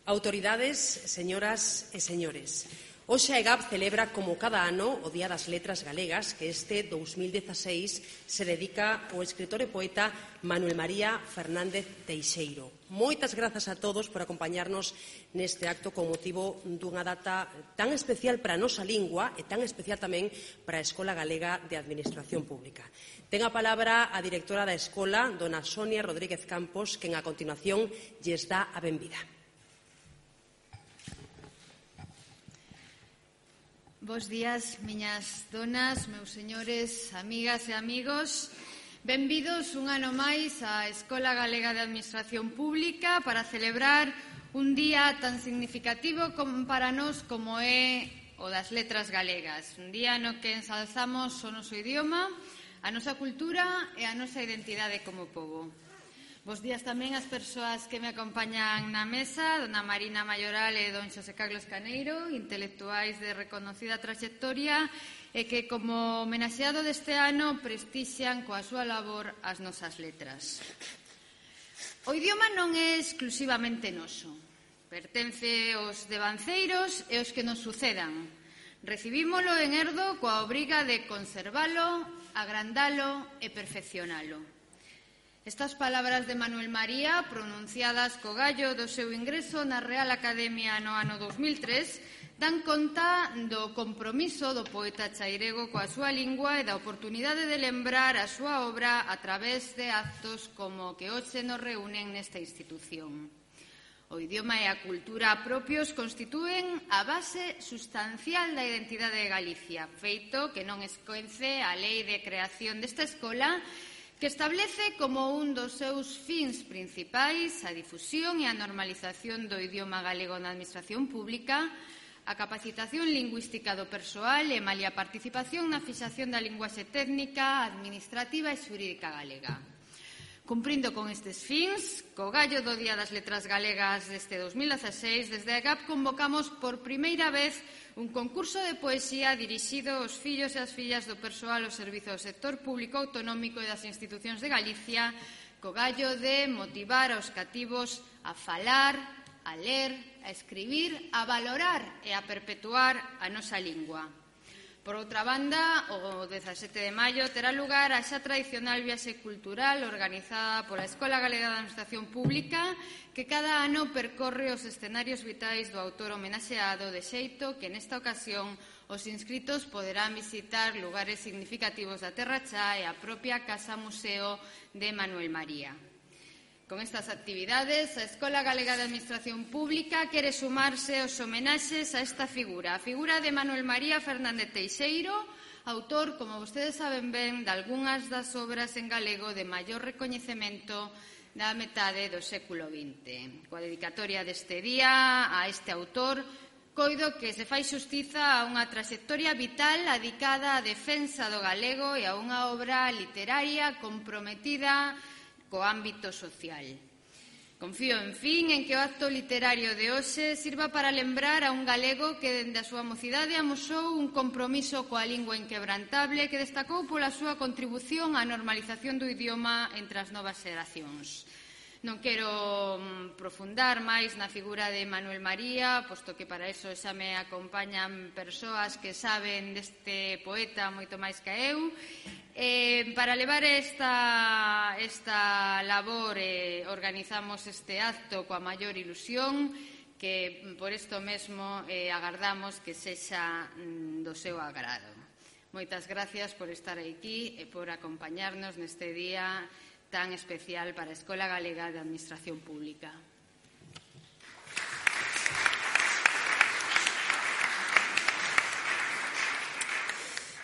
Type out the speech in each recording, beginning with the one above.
Autoridades, señoras e señores, hoxe a EGAP celebra como cada ano o Día das Letras Galegas, que este 2016 se dedica ao escritor e poeta Manuel María Fernández Teixeiro. Moitas grazas a todos por acompañarnos neste acto con motivo dunha data tan especial para a nosa lingua e tan especial tamén para a Escola Galega de Administración Pública. Ten a palabra a directora da Escola, dona Sonia Rodríguez Campos, quen a continuación lles dá a benvida. Bos días, miñas donas, meus señores, amigas e amigos. Benvidos un ano máis á Escola Galega de Administración Pública para celebrar un día tan significativo para nós como é o das letras galegas. Un día no que ensalzamos o noso idioma, a nosa cultura e a nosa identidade como pobo. Bos días tamén ás persoas que me acompañan na mesa, dona Marina Mayoral e don Xosé Carlos Caneiro, intelectuais de reconocida traxectoria e que, como homenaxeado deste ano, prestixian coa súa labor as nosas letras. O idioma non é exclusivamente noso. Pertence aos devanceiros e aos que nos sucedan. Recibímolo en herdo coa obriga de conservalo, agrandalo e perfeccionalo. Estas palabras de Manuel María, pronunciadas co gallo do seu ingreso na Real Academia no ano 2003, dan conta do compromiso do poeta chairego coa súa lingua e da oportunidade de lembrar a súa obra a través de actos como que hoxe nos reúnen nesta institución. O idioma e a cultura propios constitúen a base sustancial da identidade de Galicia, feito que non escoence a lei de creación desta escola, que establece como un dos seus fins principais a difusión e a normalización do idioma galego na administración pública, a capacitación lingüística do persoal e malia a participación na fixación da linguaxe técnica, administrativa e xurídica galega. Cumprindo con estes fins, co gallo do Día das Letras Galegas deste 2016, desde a EGAP convocamos por primeira vez un concurso de poesía dirixido aos fillos e as fillas do persoal ao servizo do sector público autonómico e das institucións de Galicia, co gallo de motivar aos cativos a falar, a ler, a escribir, a valorar e a perpetuar a nosa lingua. Por outra banda, o 17 de maio terá lugar a xa tradicional viaxe cultural organizada pola Escola Galega de Administración Pública, que cada ano percorre os escenarios vitais do autor homenaxeado, de xeito que nesta ocasión os inscritos poderán visitar lugares significativos da Terra Chá e a propia Casa Museo de Manuel María. Con estas actividades, a Escola Galega de Administración Pública quere sumarse aos homenaxes a esta figura, a figura de Manuel María Fernández Teixeiro, autor, como vostedes saben ben, de algunhas das obras en galego de maior recoñecemento da metade do século XX. Coa dedicatoria deste día a este autor, coido que se fai xustiza a unha traxectoria vital adicada á defensa do galego e a unha obra literaria comprometida co ámbito social. Confío, en fin, en que o acto literario de hoxe sirva para lembrar a un galego que dende a súa mocidade amosou un compromiso coa lingua inquebrantable que destacou pola súa contribución á normalización do idioma entre as novas xeracións. Non quero profundar máis na figura de Manuel María, posto que para eso xa me acompañan persoas que saben deste poeta moito máis que eu. Para levar esta labor organizamos este acto coa maior ilusión, que por isto mesmo agardamos que sexa do seu agrado. Moitas gracias por estar aquí e por acompañarnos neste día tan especial para a Escola Galega de Administración Pública.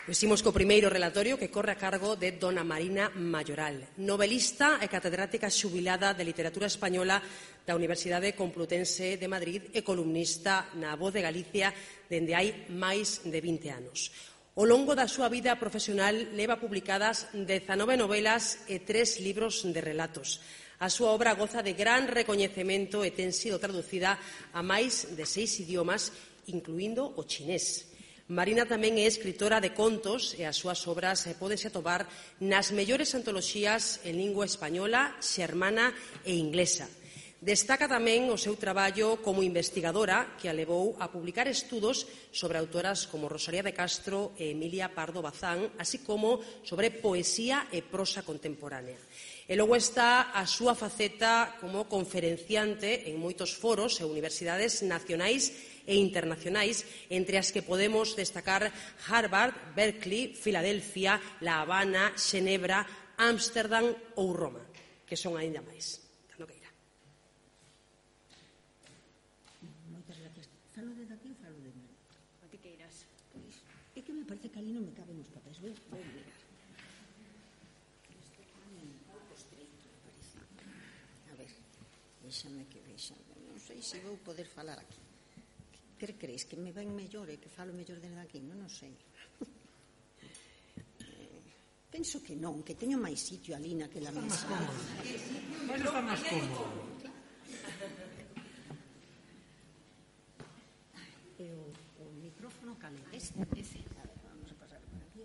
Imos co primeiro relatorio que corre a cargo de dona Marina Mayoral, novelista e catedrática xubilada de Literatura Española da Universidade Complutense de Madrid e columnista na Voz de Galicia dende hai máis de 20 anos. Ao longo da súa vida profesional leva publicadas 19 novelas e 3 libros de relatos. A súa obra goza de gran recoñecemento e ten sido traducida a máis de 6 idiomas, incluindo o chinés. Marina tamén é escritora de contos e as súas obras pódense atopar nas mellores antoloxías en lingua española, xermana e inglesa. Destaca tamén o seu traballo como investigadora que a levou a publicar estudos sobre autoras como Rosalía de Castro e Emilia Pardo Bazán, así como sobre poesía e prosa contemporánea. E logo está a súa faceta como conferenciante en moitos foros e universidades nacionais e internacionais, entre as que podemos destacar Harvard, Berkeley, Filadelfia, La Habana, Xenebra, Ámsterdam ou Roma, que son aínda máis. Falo de daqui ou falo de mí? A ti que irás. Pois, é que me parece que ali non me caben os papéis. Vou mirar. Este é un pouco estreito, me parece. A ver, déxame. Non sei se vou poder falar aquí. Que crees? Que me ven mellor e que falo mellor desde aquí? Non sei. Penso que non, que teño máis sitio ali naquela mesa. Vais estar máis cómodo. O micrófono cale. Ese. A ver, vamos a pasar por aquí.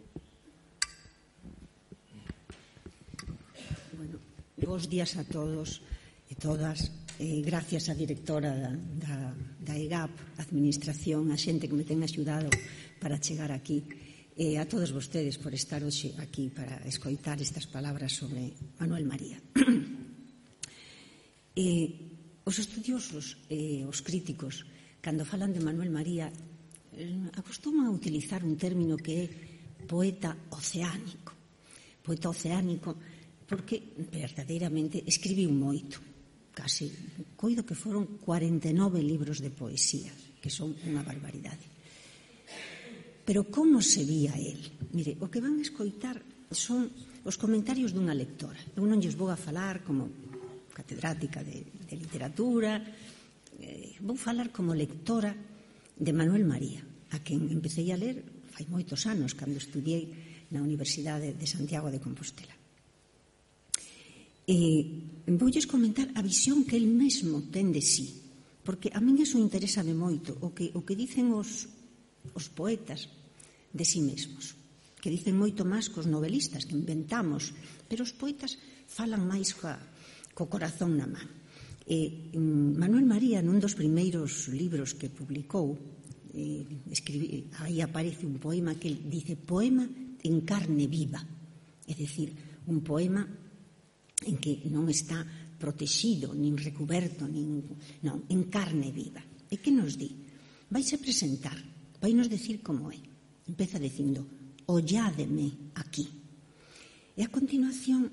Bueno, bons días a todos e todas. Gracias á directora da EGAP, a administración, a xente que me ten axudado para chegar aquí. E a todos vostedes por estar hoxe aquí para escoitar estas palabras sobre Manuel María. Os estudiosos e os críticos, cando falan de Manuel María, acostuman a utilizar un término que é poeta oceánico. Poeta oceánico porque verdadeiramente escribiu moito. Casi, coido que foron 49 libros de poesía, que son unha barbaridade. Pero como se vía el? Mire, o que van a escoitar son os comentarios dunha lectora. Eu non lles vou a falar como catedrática de literatura, vou falar como lectora de Manuel María, a quen empecé a ler fai moitos anos, cando estudiei na Universidade de Santiago de Compostela. Voulles comentar a visión que el mesmo ten de sí, porque a min eso interésame moito, o que dicen os poetas de sí mesmos, que dicen moito máis cos novelistas, que inventamos, pero os poetas falan máis co corazón na man. Manuel María, nun dos primeiros libros que publicou, aí aparece un poema que ele dice poema en carne viva, é dicir, un poema en que non está protegido, nin recuberto, non, en carne viva. E que nos di? Vais a presentar, vai nos decir como é. Empeza dicindo, olládeme aquí. E a continuación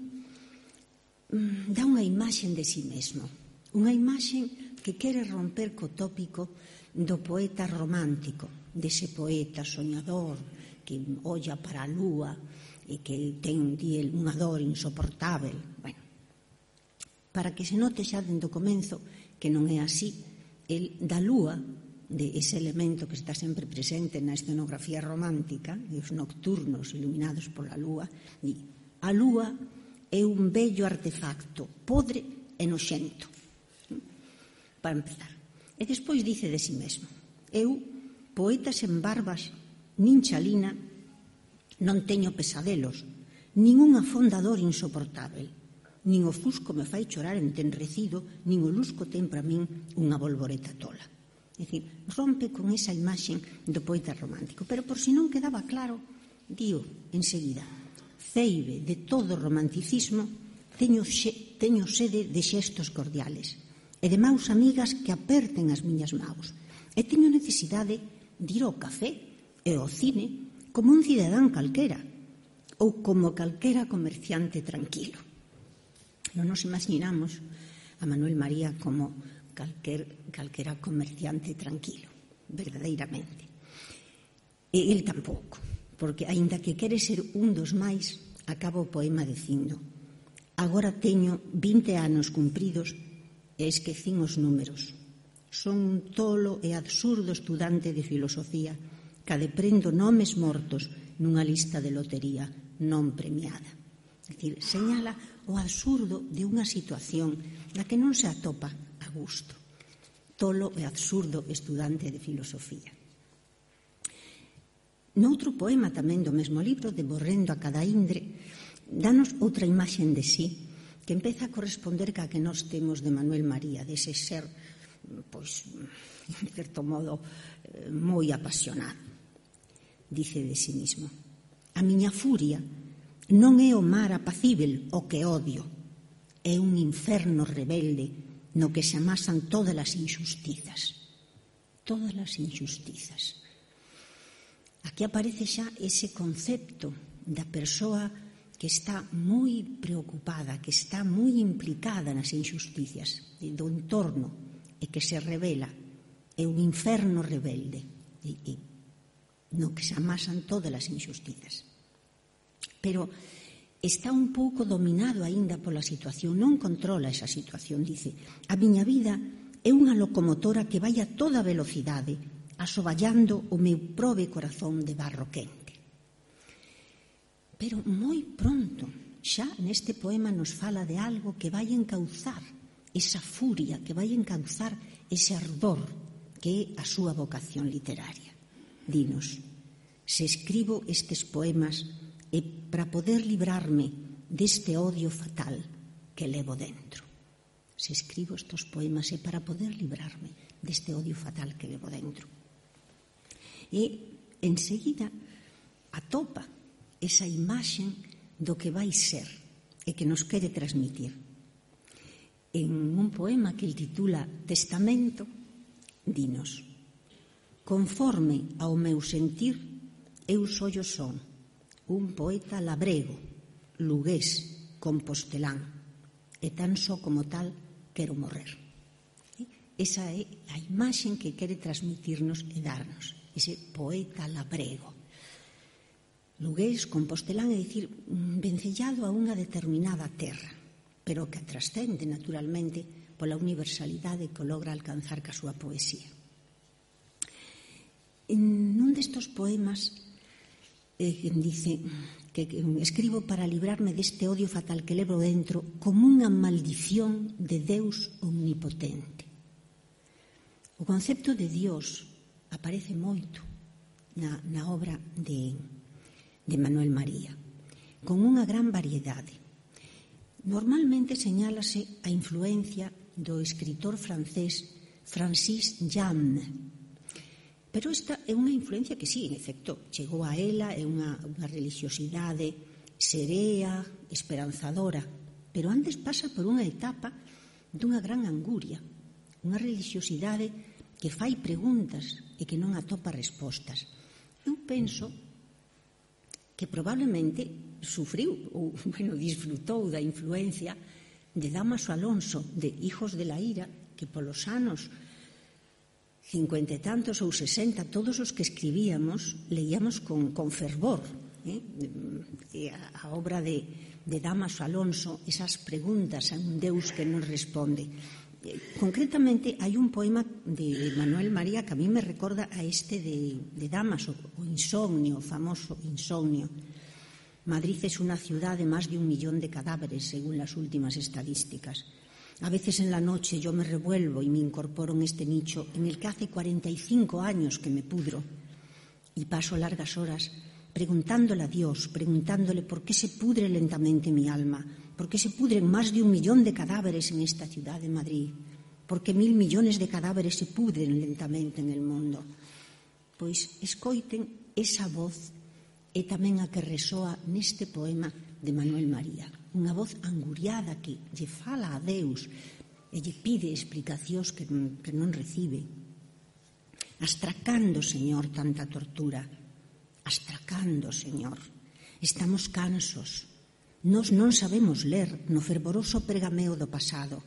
dá unha imaxen de si mesmo, unha imaxen que quere romper co tópico do poeta romántico, dese poeta soñador que olla para a lúa e que ten unha dor insoportável. Bueno, para que se note xa dende o comezo que non é así, el da lúa, de ese elemento que está sempre presente na escenografía romántica, e os nocturnos iluminados pola lúa, di, a lúa é un bello artefacto, podre e noxento. Para empezar. E despois dice de si mesmo, eu, poeta sen barbas, nin chalina, non teño pesadelos, nin unha fondador insoportável, nin o fusco me fai chorar entenrecido, nin o lusco ten para min unha bolboreta tola. É dicir, rompe con esa imaxen do poeta romántico. Pero por si non quedaba claro, dío enseguida, ceibe de todo romanticismo, teño sede de xestos cordiales e de maus amigas que aperten as miñas maus. E teño necesidade de ir ao café e ao cine como un cidadán calquera ou como calquera comerciante tranquilo. Non nos imaginamos a Manuel María como calquera comerciante tranquilo, verdadeiramente. E el tampouco, porque aínda que quere ser un dos máis, acaba o poema dicindo, agora teño 20 anos cumpridos e esquecín os números. Son un tolo e absurdo estudante de filosofía que deprendo nomes mortos nunha lista de lotería non premiada. É dicir, señala o absurdo de unha situación na que non se atopa a gusto. Tolo e absurdo estudante de filosofía. Noutro poema tamén do mesmo libro, de Borrendo a cada indre, danos outra imaxen de sí que empeza a corresponder ca que nós temos de Manuel María, dese ser, pois, en certo modo, moi apasionado. Dice de sí mismo: a miña furia non é o mar apacível o que odio, é un inferno rebelde no que se amasan todas as injustizas. Todas as injustizas. Aquí aparece xa ese concepto da persoa que está moi preocupada, que está moi implicada nas injusticias do entorno e que se revela. É un inferno rebelde no que se amasan todas as injustizas. Pero está un pouco dominado aínda pola situación, non controla esa situación, dice: a miña vida é unha locomotora que vai a toda velocidade, asoballando o meu probe corazón de barro quente. Pero moi pronto, xa neste poema nos fala de algo que vai encauzar esa furia, que vai encauzar ese ardor que é a súa vocación literaria. Dinos: se escribo estes poemas é para poder librarme deste odio fatal que levo dentro. Se escribo estes poemas é para poder librarme deste odio fatal que levo dentro. E enseguida atopa esa imaxen do que vai ser e que nos quere transmitir. En un poema que el titula Testamento, dinos: conforme ao meu sentir, eu sollo son un poeta labrego, lugués, compostelán, e tan só como tal quero morrer. Esa é a imaxen que quere transmitirnos e darnos, ese poeta labrego. Lugués, compostelán, é dicir, vencellado a unha determinada terra, pero que trascende, naturalmente, pola universalidade que logra alcanzar ca súa poesía. En un destos poemas dice que escribo para librarme deste odio fatal que levo dentro como unha maldición de Deus omnipotente. O concepto de Dios aparece moito na obra de Manuel María, con unha gran variedade. Normalmente señálase a influencia do escritor francés Francis Jammes, pero esta é unha influencia que sí, en efecto, chegou a ela, é unha religiosidade serea, esperanzadora, pero antes pasa por unha etapa dunha gran anguria, unha religiosidade que fai preguntas e que non atopa respostas. Eu penso que probablemente sufriu ou, disfrutou da influencia de Dámaso Alonso, de Hijos de la Ira, que polos anos 50 e tantos ou 60, todos os que escribíamos, leíamos con fervor. A obra de Dámaso Alonso, esas preguntas a un Deus que non responde. Concretamente, hai un poema de Manuel María que a mí me recorda a este de Dámaso, o Insomnio, o famoso Insomnio. Madrid es una ciudad de más de 1 millón de cadáveres, según las últimas estadísticas. A veces en la noche yo me revuelvo y me incorporo en este nicho en el que hace 45 años que me pudro y paso largas horas preguntándole a Dios, preguntándole por qué se pudre lentamente mi alma, por qué se pudren más de 1 millón de cadáveres en esta ciudad de Madrid, por qué 1.000 millones de cadáveres se pudren lentamente en el mundo. Pois escoiten esa voz e tamén a que resoa neste poema de Manuel María. Unha voz anguriada que lle fala a Deus e lle pide explicacións que non recibe. Astracando, Señor, tanta tortura. Astracando, Señor. Estamos cansos. Nós non sabemos ler no fervoroso pergameo do pasado.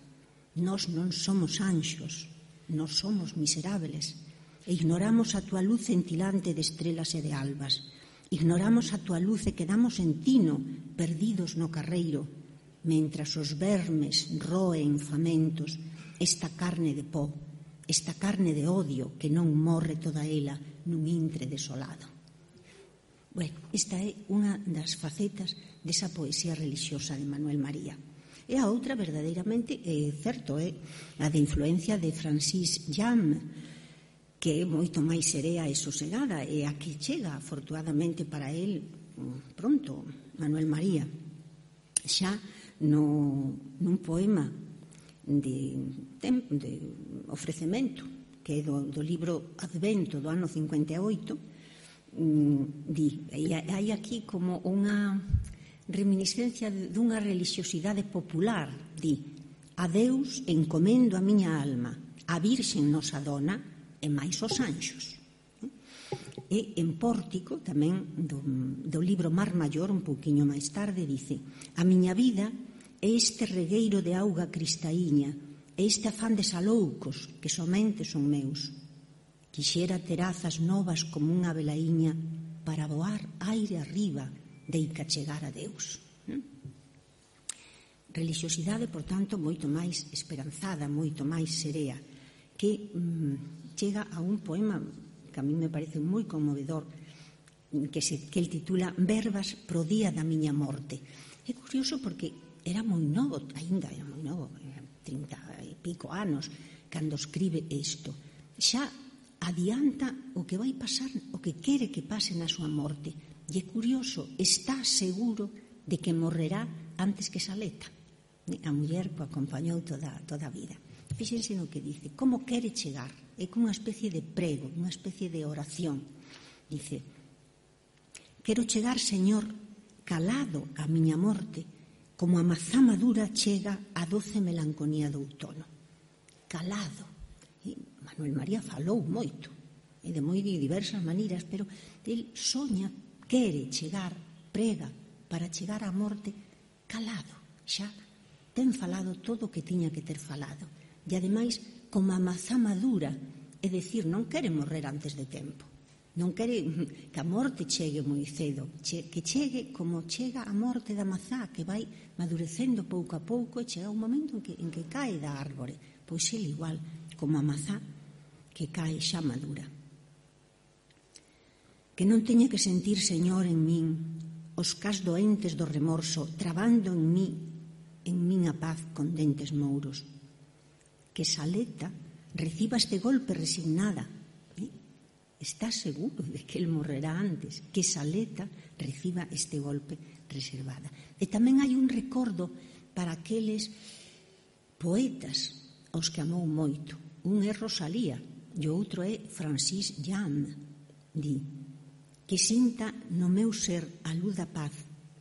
Nós non somos anxos. Nós somos miserables. E ignoramos a túa luz cintilante de estrelas e de albas. Ignoramos a túa luz e quedamos en tino, perdidos no carreiro, mentras os vermes roen famentos esta carne de pó, esta carne de odio que non morre toda ela nun intre desolado. Bueno, esta é unha das facetas desa poesía religiosa de Manuel María. E a outra, verdadeiramente, é certo, é a de influencia de Francis Jammes, que é moito máis serea e sosegada, e a que chega, afortunadamente para el, pronto, Manuel María, xa nun poema de ofrecemento, que é do libro Advento do ano 58, hai aquí como unha reminiscencia dunha religiosidade popular. Di: a Deus encomendo a miña alma, a Virxen nosa dona e máis os anxos. E en Pórtico, tamén do libro Mar Maior, un pouquiño máis tarde, dice: a miña vida é este regueiro de auga cristaíña, é este afán de saloucos que somente son meus. Quixera terazas novas como unha velaíña para voar aire arriba deica chegar a Deus. Religiosidade, por tanto, moito máis esperanzada, moito máis serea, que chega a un poema que a mí me parece moi conmovedor, que el titula Verbas pro día da miña morte. É curioso porque era moi novo, aínda era moi novo, 30 e pico anos, cando escribe isto. Xa adianta o que vai pasar, o que quere que pase na súa morte. E é curioso, está seguro de que morrerá antes que Saleta. A muller que o acompañou toda a vida. Fíxense no que dice, como quere chegar. É como unha especie de prego, unha especie de oración. Dice: quero chegar, Señor, calado a miña morte, como a mazá madura chega a doce melancolía do outono. Calado. E Manuel María falou moito, e de moi diversas maneiras, pero el soña, quere chegar, prega, para chegar á morte calado. Xa ten falado todo o que tiña que ter falado. E ademais, como a mazá madura, é dicir, non quere morrer antes de tempo, non quere que a morte chegue moi cedo, que chegue como chega a morte da mazá, que vai madurecendo pouco a pouco e chega un momento en que cae da árbore. Pois ele igual, como a mazá que cae xa madura. Que non teña que sentir, Señor, en min os cas doentes do remorso, trabando en min a paz con dentes mouros. Que Saleta reciba este golpe resignada. Está seguro de que el morrerá antes. Que Saleta reciba este golpe reservada. E tamén hai un recordo para aqueles poetas aos que amou moito. Un é Rosalía e o outro é Francis Jan. Di: que sinta no meu ser a luz da paz,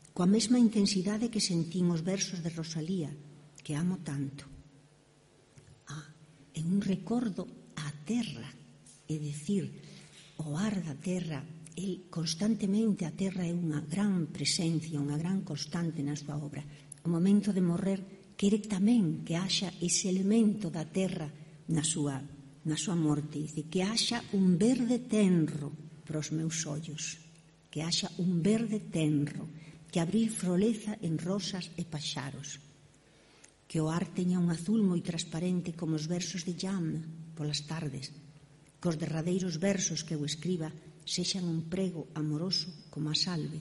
coa mesma intensidade que sentín os versos de Rosalía, que amo tanto. É un recordo á terra, é dicir, o ar da terra. El constantemente, a terra é unha gran presencia, unha gran constante na súa obra. O momento de morrer quere tamén que haxa ese elemento da terra na súa morte. Dice que haxa un verde tenro para os meus ollos, que haxa un verde tenro, que abril froleza en rosas e paxaros, que o ar teña un azul moi transparente como os versos de Jan polas tardes, que os derradeiros versos que eu escriba sexan un prego amoroso como a salve,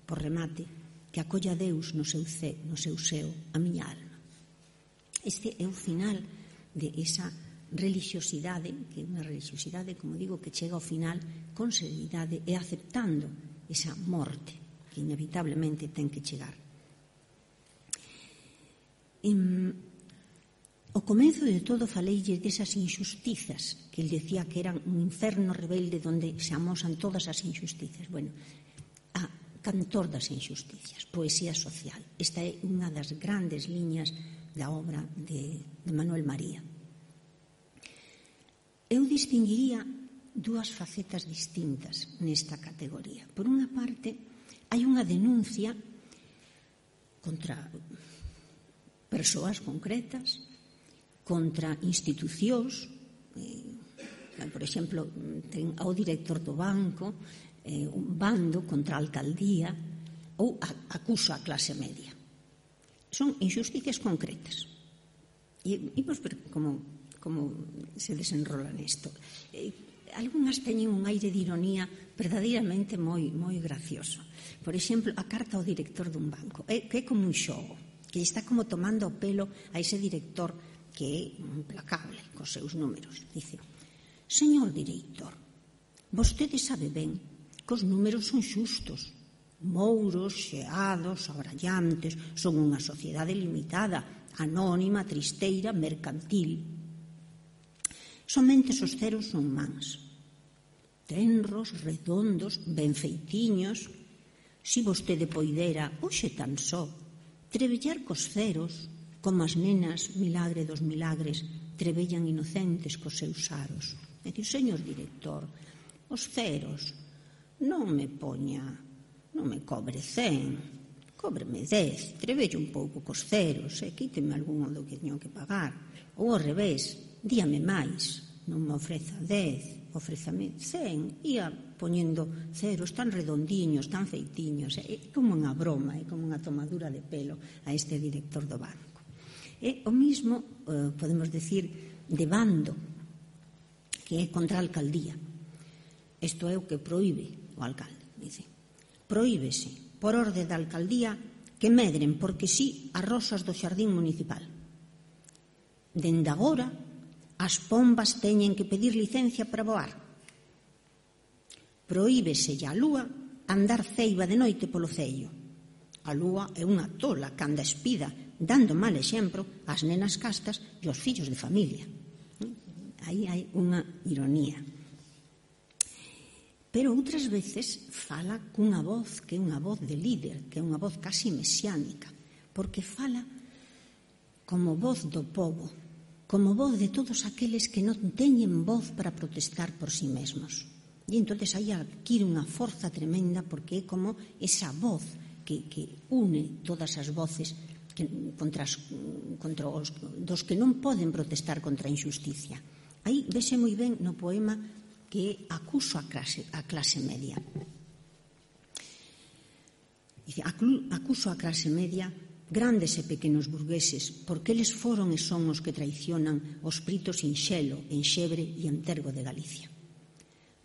por remate, que acolla a Deus no seu seo a miña alma. Este é o final de esa religiosidade, que é unha religiosidade, como digo, que chega ao final con serenidade e aceptando esa morte que inevitablemente ten que chegar. O comezo de todo faleille desas injustizas que el decía que eran un inferno rebelde donde se amosan todas as injustizas. Bueno, a cantor das injusticias, poesía social. Esta é unha das grandes liñas da obra de Manuel María. Eu distinguiría dúas facetas distintas nesta categoría. Por unha parte, hai unha denuncia contra persoas concretas, contra institucións, por exemplo, ten ao director do banco, un bando contra a alcaldía, ou acuso a clase media. Son injusticias concretas. E imos ver como se desenrola nisto. Algúnas teñen un aire de ironía verdadeiramente moi gracioso. Por exemplo, a carta ao director dun banco, que é como un xogo, que está como tomando o pelo a ese director que é implacable cos seus números. Dice: señor director, vostede sabe ben que os números son xustos, Mouros, xeados, abrallantes, son unha sociedade limitada, anónima, tristeira, mercantil. Somente os ceros son mans, tenros, redondos, ben feitiños. Si vostede poidera, hoxe tan só, trebellar cos ceros, como as nenas, milagre dos milagres, trebellan inocentes cos seus aros. E di, señor director, os ceros, non me cobre 100, cóbreme 10, trebello un pouco cos ceros, e quíteme algún do que teño que pagar. Ou ao revés, díame máis, non me ofreza 10, ofrézame 100, ia poñendo ceros tan redondiños, tan feitiños, é como unha broma, é como unha tomadura de pelo a este director do banco. E o mismo, podemos decir, de bando, que é contra a alcaldía. Isto é o que proíbe o alcalde, dice. Proíbese, por orde da alcaldía, que medren porque sí as rosas do xardín municipal. Dende agora, as pombas teñen que pedir licencia para voar. Proíbese a lúa andar ceiba de noite polo cello. A lúa é unha tola que anda espida, dando mal exemplo ás nenas castas e aos fillos de familia. Aí hai unha ironía. Pero outras veces fala cunha voz que é unha voz de líder, que é unha voz casi mesiánica, porque fala como voz do povo, como voz de todos aqueles que non teñen voz para protestar por si mesmos. E entón aí adquire unha forza tremenda porque é como esa voz que une todas as voces contra os dos que non poden protestar contra a injusticia. Aí vese moi ben no poema que é Acuso a clase media. Dice, acuso a clase media, grandes e pequenos burgueses, porque eles foron e son os que traicionan os pritos en Xelo, en Xebre e en Tergo de Galicia.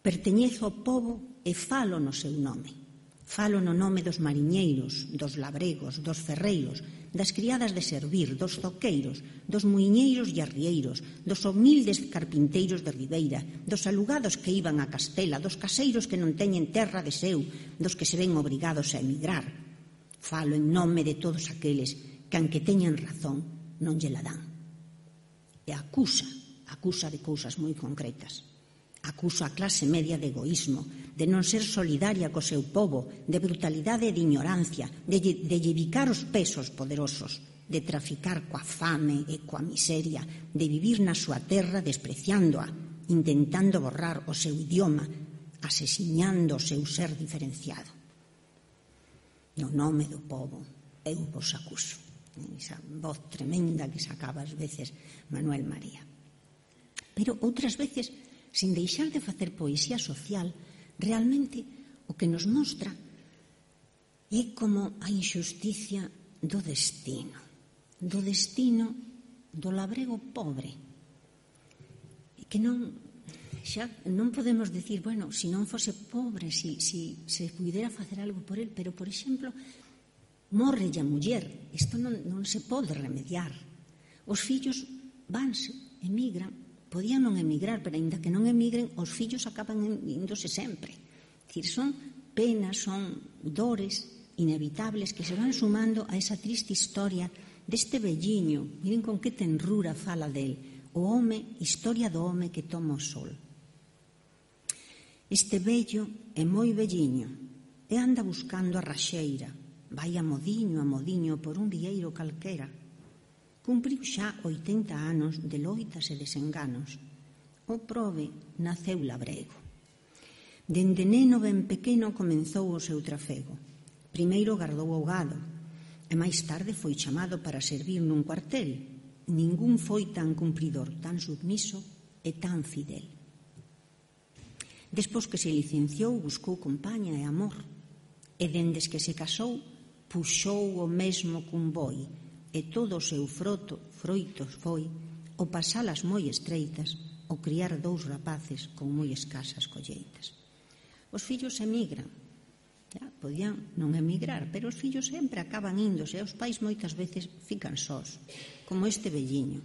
Perteñezo ao pobo e falo no seu nome. Falo no nome dos mariñeiros, dos labregos, dos ferreiros, das criadas de servir, dos zoqueiros, dos muiñeiros e arrieiros, dos humildes carpinteiros de Ribeira, dos alugados que iban a Castela, dos caseiros que non teñen terra de seu, dos que se ven obrigados a emigrar. Falo en nome de todos aqueles que, aunque teñan razón, non lle la dan. E acusa de cousas moi concretas. Acusa a clase media de egoísmo, de non ser solidaria co seu povo, de brutalidade e de ignorancia, de llevicar os pesos poderosos, de traficar coa fame e coa miseria, de vivir na súa terra despreciándoa, intentando borrar o seu idioma, asesiñando o seu ser diferenciado. No nome do povo, eu vos acuso. Esa voz tremenda que sacaba ás veces Manuel María. Pero outras veces, sin deixar de facer poesía social, realmente o que nos mostra é como a injusticia do destino do labrego pobre, que non podemos decir, bueno, se non fose pobre, se pudera facer algo por el, pero, por exemplo, morre a muller, isto non se pode remediar. Os fillos vanse, emigran, podían non emigrar, pero ainda que non emigren, os fillos acaban índose sempre. Son penas, son dores inevitables que se van sumando a esa triste historia deste velliño. Miren con que tenrura fala del, o home, historia do home que toma o sol. Este vello é moi velliño e anda buscando a raxeira, vai a modiño por un vieiro calquera. Cumpriu xa 80 anos de loitas e desenganos. O prove naceu labrego. Dende neno ben pequeno comenzou o seu trafego. Primeiro gardou o gado, e máis tarde foi chamado para servir nun cuartel. Ningún foi tan cumpridor, tan submiso e tan fidel. Despois que se licenciou, buscou compaña e amor, e dendes que se casou, puxou o mesmo cun boi, e todo o seu froito foi o pasalas moi estreitas, o criar 2 rapaces con moi escasas colleitas. Os fillos emigran, podían non emigrar, pero os fillos sempre acaban índose, e os pais moitas veces fican sós, como este velliño.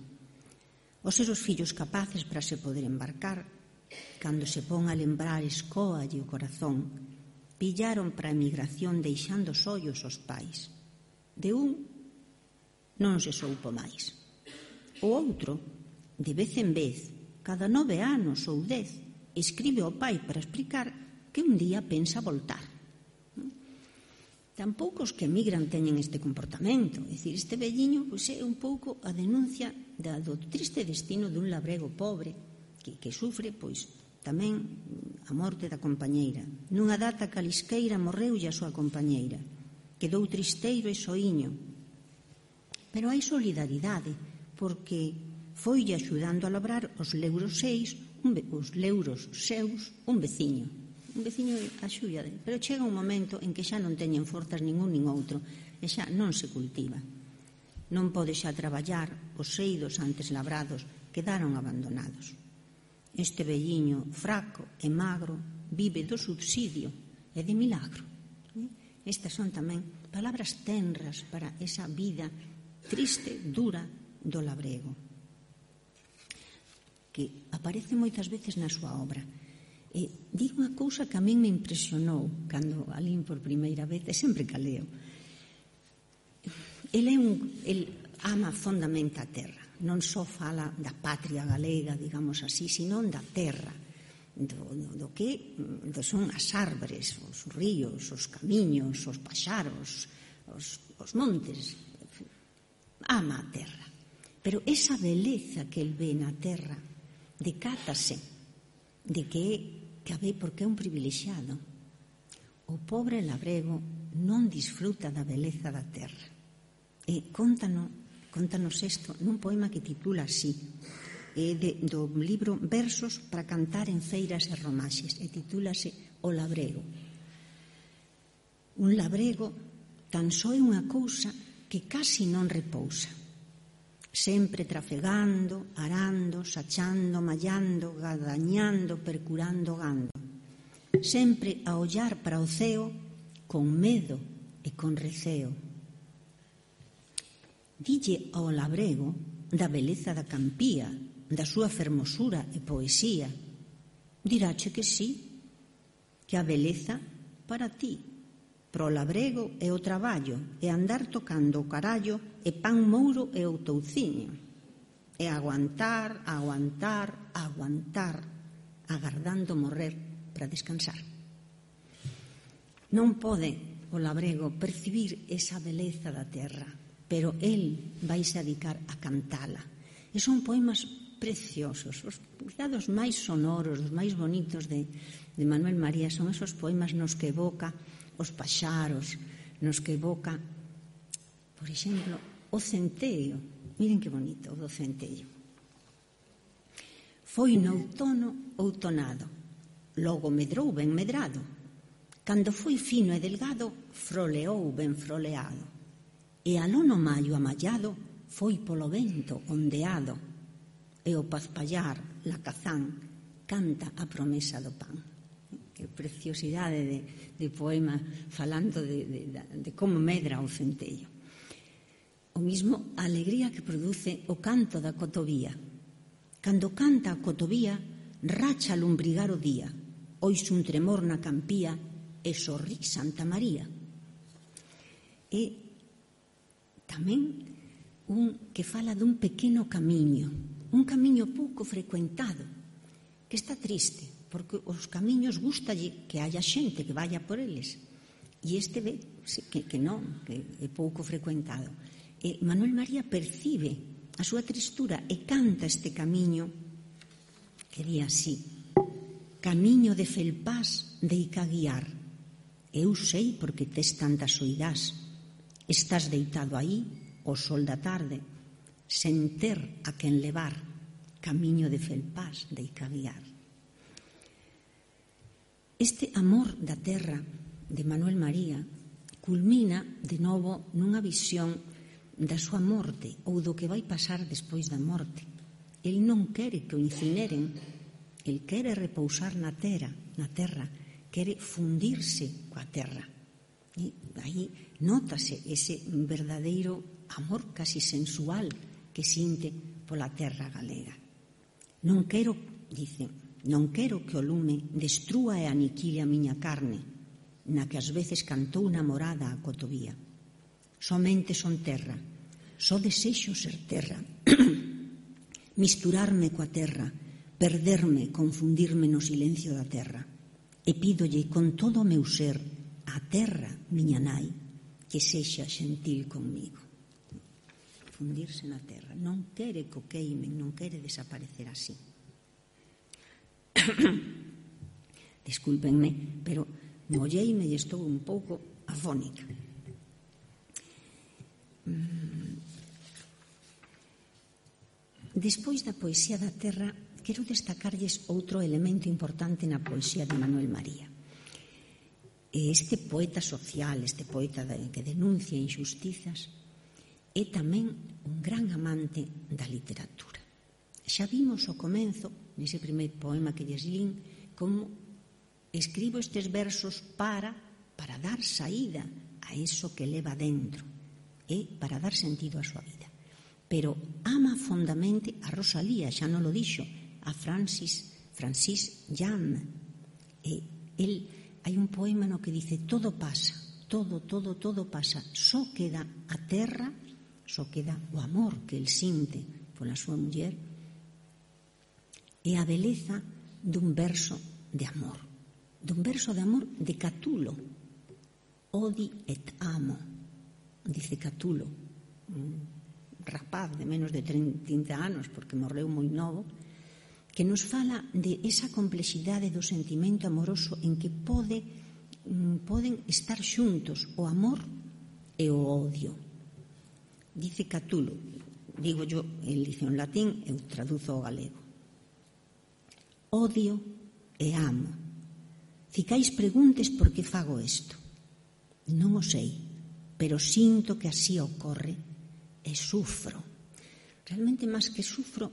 Os seus fillos capaces para se poder embarcar, cando se pon a lembrar escóalle o corazón, pillaron para a emigración deixando sollos os pais. De un non se soupo máis. O outro, de vez en vez, cada 9 anos ou 10, escribe ao pai para explicar que un día pensa voltar. Tampouco os que emigran teñen este comportamento. É dicir, este velliño é un pouco a denuncia do triste destino dun labrego pobre que sufre tamén a morte da compañeira. Nunha data calisqueira morreulle a súa compañeira. Quedou tristeiro e soiño. Pero hai solidaridade, porque foille axudando a labrar os leuros seus un veciño. Un veciño axuda, pero chega un momento en que xa non teñen forzas ningún nin outro, e xa non se cultiva. Non pode xa traballar, os seidos antes labrados quedaron abandonados. Este velliño fraco e magro vive do subsidio e de milagro. Estas son tamén palabras tenras para esa vida triste, dura do labrego, que aparece moitas veces na súa obra. Digo unha cousa que a min me impresionou cando a lín por primeira vez, e sempre que a leo. El ama fondamente a terra. Non só fala da patria galega, digamos así, sino da terra, do que son as árbores, os ríos, os camiños, os paxaros, os montes. Ama a terra. Pero esa beleza que el ve na terra decátase de que a ve porque é un privilexiado. O pobre labrego non disfruta da beleza da terra. E Contanos isto nun poema que titula así, do libro Versos para cantar en feiras e romaxes, e titúlase O labrego. Un labrego tan só é unha cousa que casi non repousa, sempre trafegando, arando, sachando, mallando, gadañando, percurando gando, sempre a ollar para o ceo con medo e con receo. Dille ao labrego da beleza da campía, da súa fermosura e poesía. Dirache que sí, que a beleza para ti, pro labrego e o traballo, e andar tocando o carallo e pan mouro e o touciño, e aguantar, agardando morrer para descansar. Non pode o labrego percibir esa beleza da terra, pero el vaise a dedicar a cantala. E son poemas preciosos, os cuidados máis sonoros, os máis bonitos de Manuel María son esos poemas nos que evoca os paxaros, nos que evoca, por exemplo, o centeo. Miren que bonito o do centeo. Foi no outono outonado, logo medrou ben medrado, cando foi fino e delgado, froleou ben froleado. E aló no maio amallado foi polo vento ondeado, e o pazpallar, la cazán, canta a promesa do pan. Que preciosidade de poema falando de como medra o centello. O mismo a alegría que produce o canto da cotovía. Cando canta a cotovía, racha a lumbrigar o día, ois un tremor na campía e sorrí Santa María. E tamén un que fala dun pequeno camiño, un camiño pouco frecuentado, que está triste, porque os camiños gustalle que haya xente que vaya por eles, e este ve que non, que é pouco frecuentado. E Manuel María percibe a súa tristura e canta este camiño que di así: camiño de felpás deica guiar, eu sei porque tes tantas soidás. Estás deitado aí, o sol da tarde, sen ter a quen levar, camiño de felpás deica guiar. Este amor da terra de Manuel María culmina de novo nunha visión da súa morte ou do que vai pasar despois da morte. El non quere que o incineren, el quere repousar na terra, quere fundirse coa terra. E aí nótase ese verdadeiro amor casi sensual que sinte pola terra galega. Non quero, dice, non quero que o lume destrúa e aniquile a miña carne, na que ás veces cantou namorada a cotovía. Somente son terra, só desexo ser terra, misturarme coa terra, perderme, confundirme no silencio da terra. E pídolle con todo o meu ser a terra, miña nai, que sexa xentil conmigo. Fundirse na terra. Non quere que o queimen, non quere desaparecer así. Descúlpenme, pero molleime e estou un pouco afónica. Despois da poesía da terra, quero destacarlles outro elemento importante na poesía de Manuel María. Este poeta social, este poeta que denuncia injustizas, é tamén un gran amante da literatura. Xa vimos ao comenzo, nese primeiro poema que lles lín, como escribo estes versos para dar saída a eso que leva dentro e para dar sentido á súa vida. Pero ama fondamente a Rosalía, xa non lo dixo, a Francis Jan. Hai un poema no que dice: todo pasa, todo pasa, só queda a terra, só queda o amor que el sinte pola súa muller e a beleza dun verso de amor, de Catulo. Odi et amo, dice Catulo, un rapaz de menos de 30 anos, porque morreu moi novo, que nos fala de esa complexidade do sentimento amoroso en que poden estar xuntos o amor e o odio. Dice Catulo, digo yo, el dice en latín, eu traduzo ao galego: odio e amo. Ficais preguntes por que fago isto. Non o sei, pero sinto que así ocorre e sufro. Realmente, máis que sufro,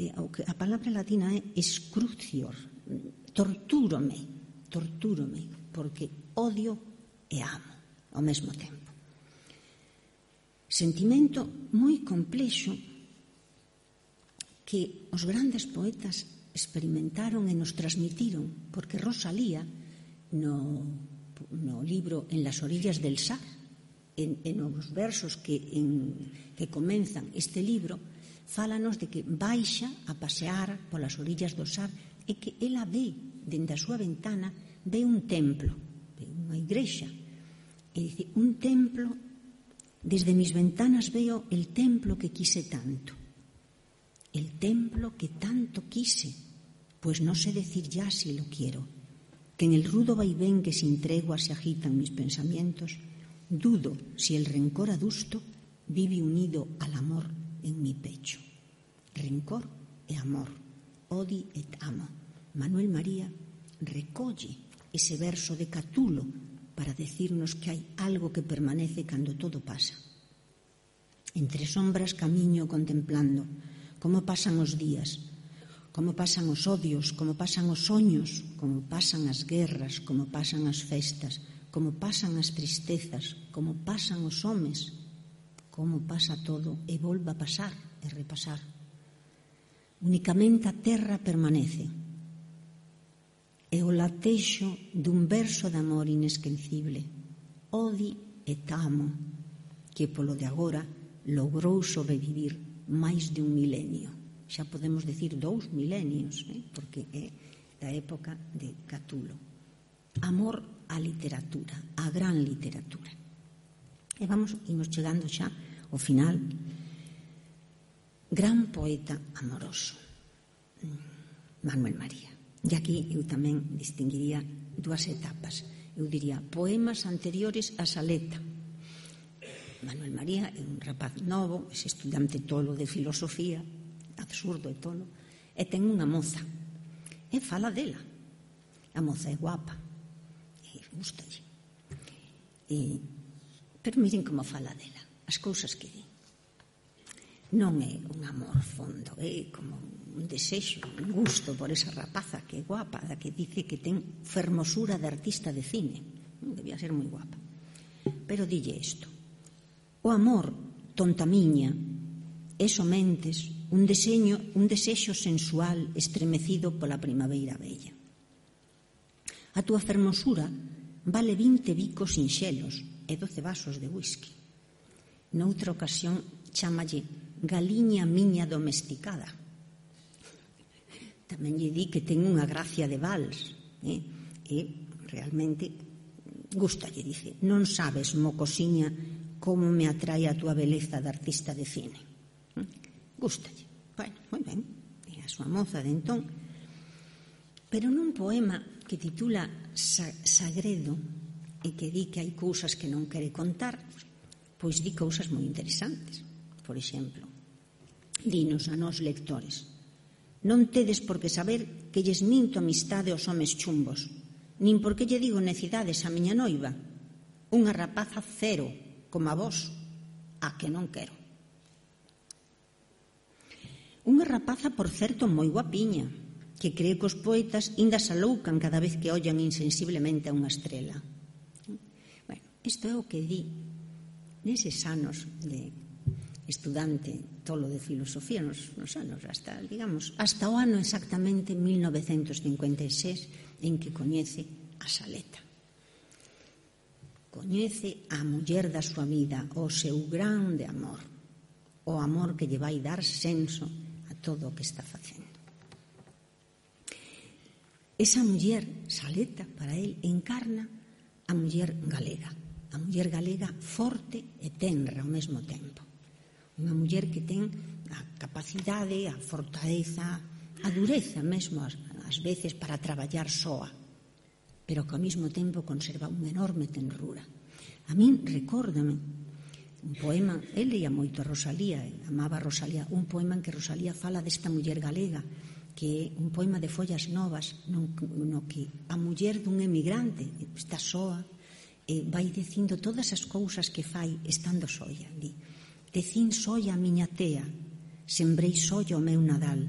a palabra latina é excrucior. Tortúrome, porque odio e amo ao mesmo tempo. Sentimento moi complexo que os grandes poetas experimentaron e nos transmitiron, porque Rosalía, no libro En las orillas del Sar, en os versos que comenzan este libro, fálanos de que baixa a pasear polas orillas do Sar e que ela ve, dende a súa ventana, ve un templo, ve unha igrexa, e dice: un templo, desde mis ventanas veo el templo que quise tanto, el templo que tanto quise, pues no sé decir ya si lo quiero, que en el rudo vaivén que sin tregua se agitan mis pensamientos, dudo si el rencor adusto vive unido al amor en mi pecho. Rencor e amor, odi et amo. Manuel María recolle ese verso de Catulo para decirnos que hai algo que permanece cando todo pasa. Entre sombras camiño contemplando como pasan os días, como pasan os odios, como pasan os soños, como pasan as guerras, como pasan as festas, como pasan as tristezas, como pasan os homes, como pasa todo e volva a pasar e repasar. Unicamente a terra permanece e o latexo dun verso de amor inesquecible, odi et amo, que polo de agora logrou sobrevivir máis de un milenio. Xa podemos decir 2 milenios, porque é da época de Catulo. Amor á literatura, á gran literatura. E imos chegando xa ao final. Gran poeta amoroso, Manuel María. E aquí eu tamén distinguiría 2 etapas. Eu diría poemas anteriores a Saleta. Manuel María é un rapaz novo, é estudante tolo de filosofía, absurdo e tolo, e ten unha moza, e fala dela. A moza é guapa, e gustalle. Pero miren como fala dela, as cousas que di. Non é un amor fondo, é como un desexo, un gusto por esa rapaza que é guapa, da que dice que ten fermosura de artista de cine. Debía ser moi guapa. Pero dille isto: o amor, tonta miña, é somentes un desexo sensual estremecido pola primavera bella. A túa fermosura vale 20 bicos sinxelos e 12 vasos de whisky. Noutra ocasión chámalle galiña miña domesticada. Tamén lle di que ten unha gracia de vals, e realmente gustalle, dice, non sabes, mocosiña, como me atrae a túa beleza de artista de cine. Gustalle. Bueno, moi ben, é a súa moza de entón. Pero nun poema que titula Sagredo e que di que hai cousas que non quere contar, pois di cousas moi interesantes. Por exemplo, dinos a nós lectores: non tedes por que saber que lles minto amistade aos homes chumbos, nin por que lle digo necidades a miña noiva, unha rapaza cero, como a vos, a que non quero. Unha rapaza, por certo, moi guapiña, que cree que os poetas inda se aloucan cada vez que ollan insensiblemente a unha estrela. Bueno, isto é o que di neses anos de estudante tolo de filosofía, nos anos hasta, digamos, hasta o ano exactamente 1956, en que coñece a Saleta. Coñece a muller da súa vida, o seu grande amor, o amor que lle vai dar senso a todo o que está facendo. Esa muller, Saleta, para él, encarna a muller galega forte e tenra ao mesmo tempo. Unha muller que ten a capacidade, a fortaleza, a dureza mesmo ás veces para traballar soa, pero que ao mesmo tempo conserva unha enorme tenrura. A min recórdame un poema, el leía moito a Rosalía, amaba a Rosalía, un poema en que Rosalía fala desta muller galega, que é un poema de follas novas no que a muller dun emigrante está soa e vai dicindo todas as cousas que fai estando soia. Di: decín soia a miña tea, sembrei soia o meu nadal,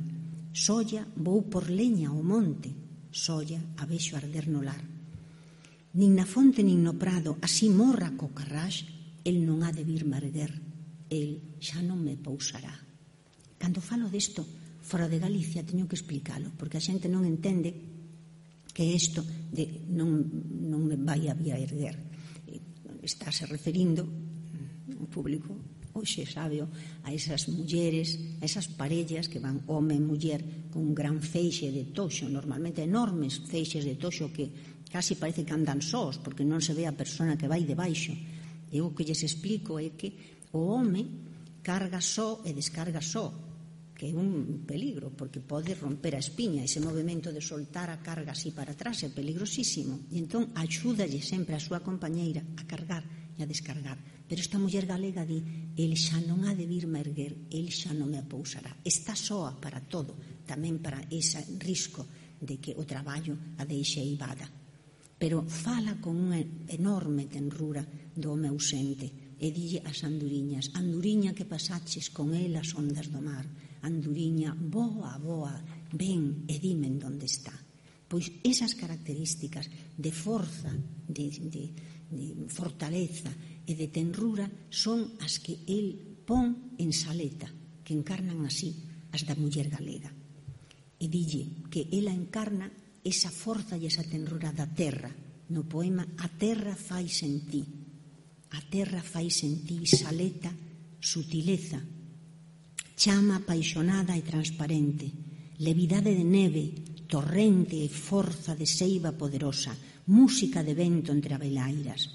soia vou por leña ao monte, soia a vexo arder no lar. Nin na fonte nin no prado, así morra co carrax, el non ha de virme erguer, el xa non me pousará. Cando falo desto fora de Galicia teño que explicalo, porque a xente non entende que isto de non me vai a vir a erguer. Estáse referindo o público hoxe sábeo a esas mulleres, a esas parellas que van home e muller con un gran feixe de toxo, normalmente enormes feixes de toxo que casi parece que andan sós porque non se ve a persona que vai debaixo. E o que lles explico é que o home carga só e descarga só, que é un peligro, porque pode romper a espiña. Ese movimento de soltar a carga así para atrás é peligrosísimo. E entón axúdalle sempre a súa compañeira a cargar e a descargar. Pero esta muller galega di: el xa non ha de virme erguer, el xa non me apousará. Está soa para todo, tamén para ese risco de que o traballo a deixe eivada. Pero fala con unha enorme tenrura do home ausente e dille ás anduriñas: anduriña que pasaches con el as ondas do mar, anduriña, boa, boa, ven e dime en donde está. Pois esas características de forza, de fortaleza e de tenrura son as que el pon en Saleta, que encarnan así as da muller galega. E dille que ela encarna esa forza e esa tenrura da terra. No poema A terra fai en ti. A terra fai en ti, Saleta, sutileza, chama apaixonada e transparente, levidade de neve, torrente e forza de seiva poderosa, música de vento entre abelairas,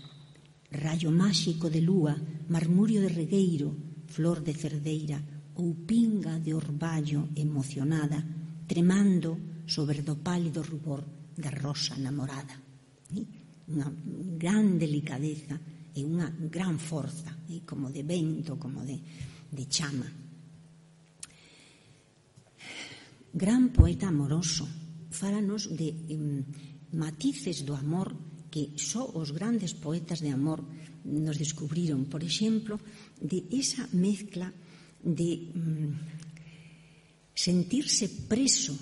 rayo máxico de lúa, marmurio de regueiro, flor de cerdeira ou pinga de orballo emocionada, tremando sobre do pálido rubor da rosa namorada. Unha gran delicadeza e unha gran forza, como de vento, como de chama. Gran poeta amoroso, fálanos de matices do amor que só os grandes poetas de amor nos descubriron. Por exemplo, de esa mezcla de sentirse preso,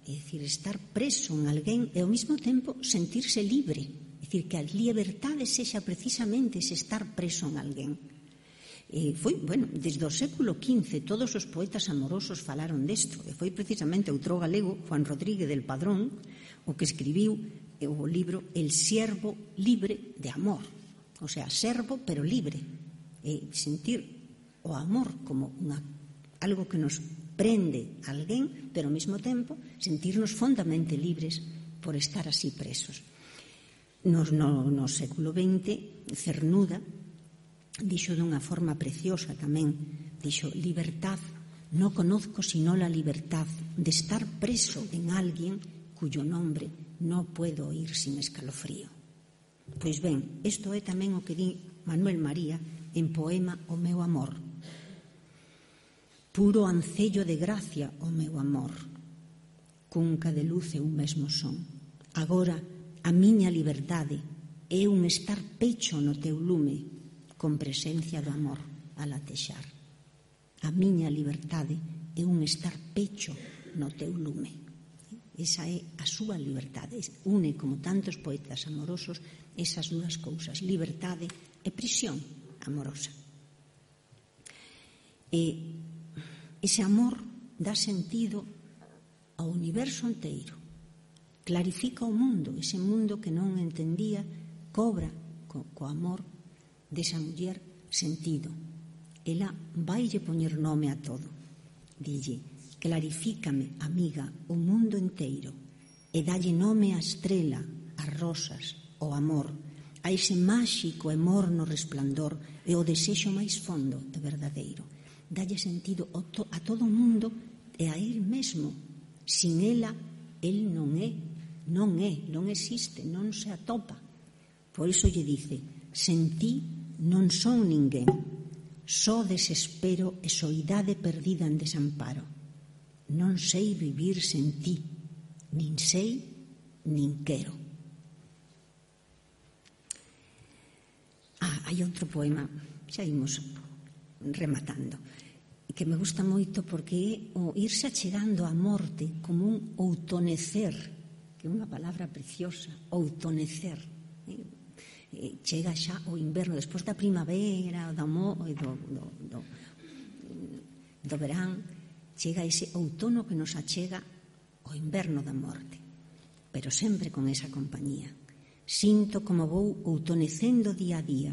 é dicir, estar preso en alguén e ao mesmo tempo sentirse libre, é dicir, que a liberdade sexa precisamente ese estar preso en alguén. Foi, bueno, desde o século XV todos os poetas amorosos falaron desto, e foi precisamente outro galego, Juan Rodríguez del Padrón, o que escribiu o libro El siervo libre de amor. O sea, servo pero libre. Sentir o amor como algo que nos prende a alguén, pero ao mesmo tempo sentirnos fondamente libres por estar así presos. No século XX, Cernuda dixo dunha forma preciosa tamén, dixo: libertad, no conozco sino la libertad de estar preso en alguén cuyo nombre no puedo oír sin escalofrío. Pois ben, isto é tamén o que di Manuel María en poema O meu amor. Puro ancello de gracia o meu amor, cunca de luz e un mesmo son. Agora a miña liberdade é un estar pecho no teu lume, con presencia do amor a latexar. A miña liberdade é un estar pecho no teu lume. Esa é a súa liberdade. Une, como tantos poetas amorosos, esas dúas cousas, liberdade e prisión amorosa. E ese amor dá sentido ao universo inteiro, clarifica o mundo, ese mundo que non entendía, cobra co amor desa muller sentido. Ela vaille poñer nome a todo. Dille: clarifícame, amiga, o mundo inteiro, e dalle nome á estrela, ás rosas, ao amor, a ese máxico e morno resplandor e o desexo máis fondo e verdadeiro. Dalle sentido a todo o mundo e a él mesmo. Sin ela, él non existe, non se atopa. Por iso lle dice: sen ti non son ninguén, só desespero e soidade perdida en desamparo. Non sei vivir sen ti, nin sei, nin quero. Hai outro poema, xa imos rematando, que me gusta moito porque é o irse achegando á morte como un outonecer, que é unha palabra preciosa, outonecer. Chega xa o inverno, despois da primavera, do verán, chega ese outono que nos achega o inverno da morte, pero sempre con esa compañía. Sinto como vou outonecendo día a día,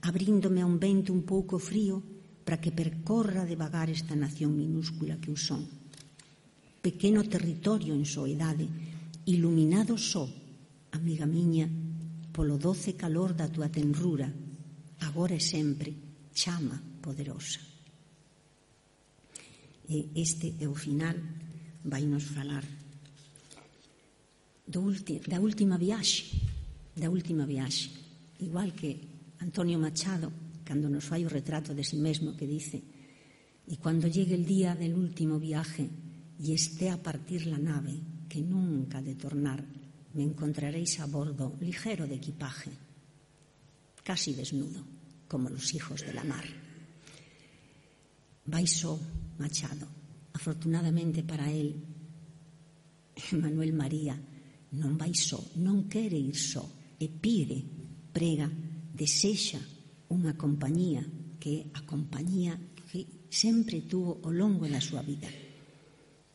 abríndome a un vento un pouco frío para que percorra devagar esta nación minúscula que eu son. Pequeno territorio en soidade, iluminado só, amiga miña, polo doce calor da túa tenrura, agora e sempre, chama poderosa. E este é o final, vai nos falar da última viaxe, igual que Antonio Machado, cando nos fai o retrato de si mesmo, que dice: y cuando llegue el día del último viaje y esté a partir la nave, que nunca ha de tornar, me encontraréis a bordo ligero de equipaje, casi desnudo, como los hijos de la mar. Vai só Machado. Afortunadamente para él, Manuel María non vai só, non quere ir só, e pide, prega, desexa unha compañía que é a compañía que sempre tuvo ao longo da súa vida.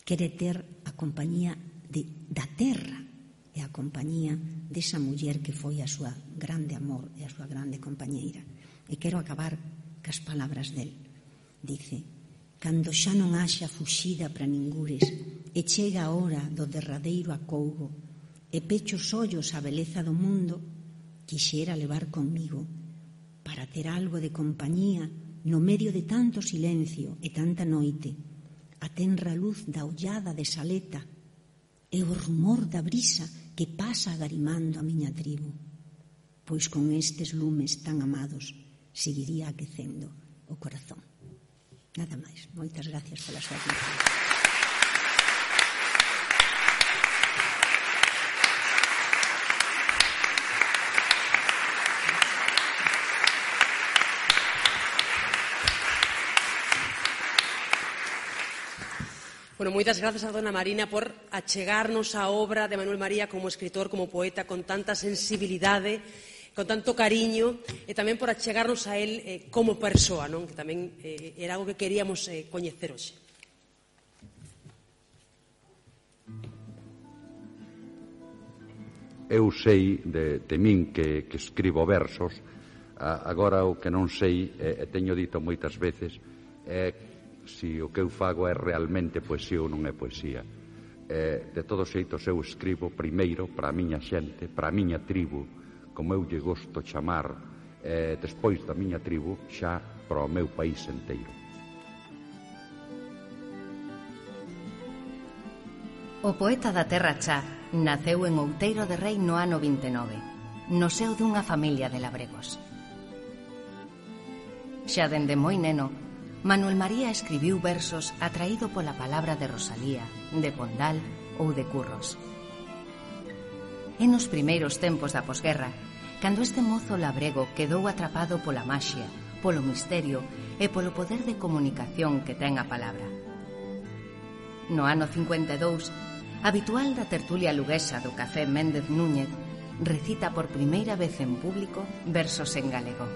Quere ter a compañía da terra e a compañía desa muller que foi a súa grande amor e a súa grande compañeira. E quero acabar cas palabras del. Dice: cando xa non haxa fuxida para ningures e chega a hora do derradeiro acougo e pecho os ollos á beleza do mundo, quixera levar conmigo para ter algo de compañía no medio de tanto silencio e tanta noite, a tenra luz da ollada de saleta e o rumor da brisa que pasa agarimando a miña tribo, pois con estes lumes tan amados seguiría aquecendo o corazón. Nada máis. Moitas gracias pola súa atención. Bueno, moitas grazas a dona Marina por achegarnos a obra de Manuel María como escritor, como poeta, con tanta sensibilidade, con tanto cariño, e tamén por achegarnos a él como persoa, non? Que tamén era algo que queríamos coñecer hoxe. Eu sei de min que escribo versos. Agora o que non sei, e teño dito moitas veces, é se o que eu fago é realmente poesía ou non é poesía. De todos xeitos eu escribo primeiro para a miña xente, para a miña tribu, como eu lle gosto chamar, despois da miña tribu xa para o meu país enteiro. O poeta da Terra Chá naceu en Outeiro de Rei no ano 29, no seo dunha familia de labregos. Xa dende moi neno, Manuel María escribiu versos atraído pola palabra de Rosalía, de Pondal ou de Curros. E nos primeiros tempos da posguerra, cando este mozo labrego quedou atrapado pola maxia, polo misterio e polo poder de comunicación que ten a palabra. No ano 52, habitual da tertulia luguesa do Café Méndez Núñez, recita por primeira vez en público versos en galego.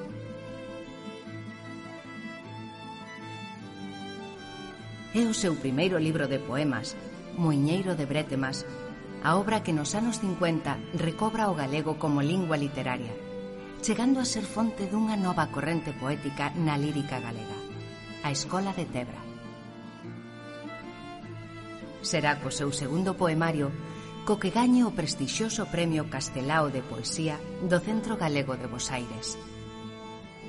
É o seu primeiro libro de poemas, Moiñeiro de Brétemas, a obra que nos anos 50 recobra o galego como lingua literaria, chegando a ser fonte dunha nova corrente poética na lírica galega, a Escola de Tebra. Será co seu segundo poemario co que gañe o prestixioso Premio Castelao de Poesía do Centro Galego de Bos Aires.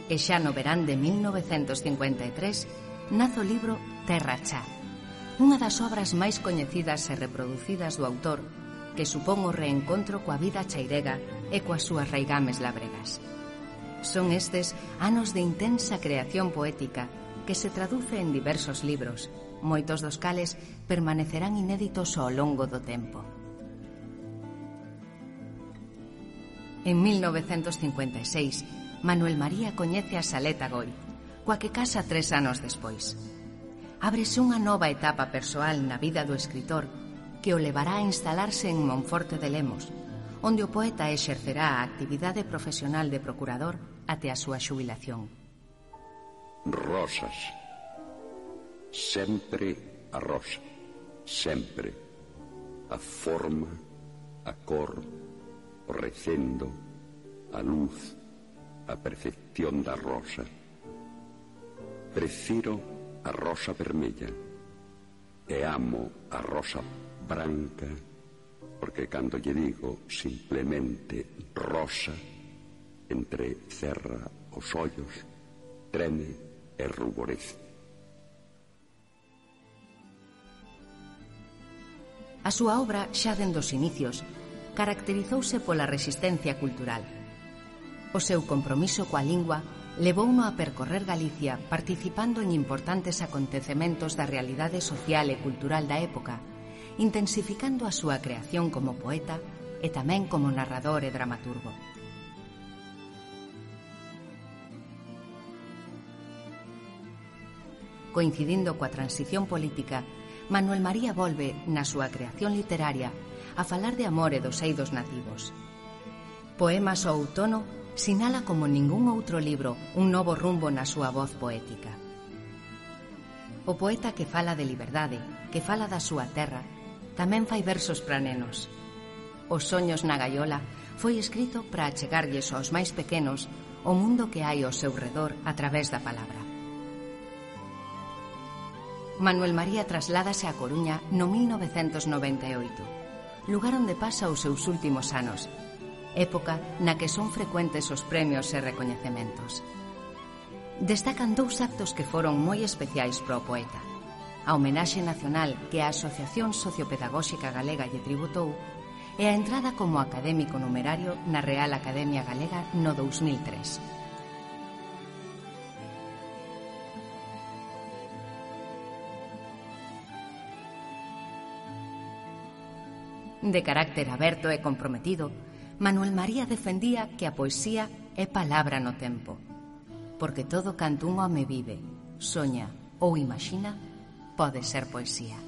E xa no verán de 1953 nace o libro Terra Chá, unha das obras máis coñecidas e reproducidas do autor, que supón o reencontro coa vida chairega e coas súas raigames labregas. Son estes anos de intensa creación poética que se traduce en diversos libros, moitos dos cales permanecerán inéditos ao longo do tempo. En 1956, Manuel María coñece a Saleta Goi, coa que casa 3 anos despois. Ábrese unha nova etapa persoal na vida do escritor que o levará a instalarse en Monforte de Lemos, onde o poeta exercerá a actividade profesional de procurador até a súa xubilación. Rosas. Sempre a rosa. Sempre. A forma, a cor, o recendo, a luz, a percepción da rosa. Prefiro a rosa vermella e amo a rosa branca, porque cando lle digo simplemente rosa, entrecerra os ollos, treme e ruborece. A súa obra, xa dende os inicios, caracterizouse pola resistencia cultural. O seu compromiso coa lingua levouno a percorrer Galicia participando en importantes acontecementos da realidade social e cultural da época, intensificando a súa creación como poeta e tamén como narrador e dramaturgo. Coincidindo coa transición política, Manuel María volve, na súa creación literaria, a falar de amor e dos eidos nativos. Poemas ao outono sinala como ningún outro libro un novo rumbo na súa voz poética. O poeta que fala de liberdade, que fala da súa terra, tamén fai versos para nenos. Os soños na gaiola foi escrito para achegarlles aos máis pequenos o mundo que hai ao seu redor a través da palabra. Manuel María trasládase a Coruña no 1998, lugar onde pasa os seus últimos anos, época na que son frecuentes os premios e recoñecementos. Destacan 2 actos que foron moi especiais para o poeta: a homenaxe nacional que a Asociación Sociopedagóxica Galega lle tributou e a entrada como académico numerario na Real Academia Galega no 2003. De carácter aberto e comprometido, Manuel María defendía que a poesía é palabra no tempo, porque todo canto un home vive, soña ou imagina pode ser poesía.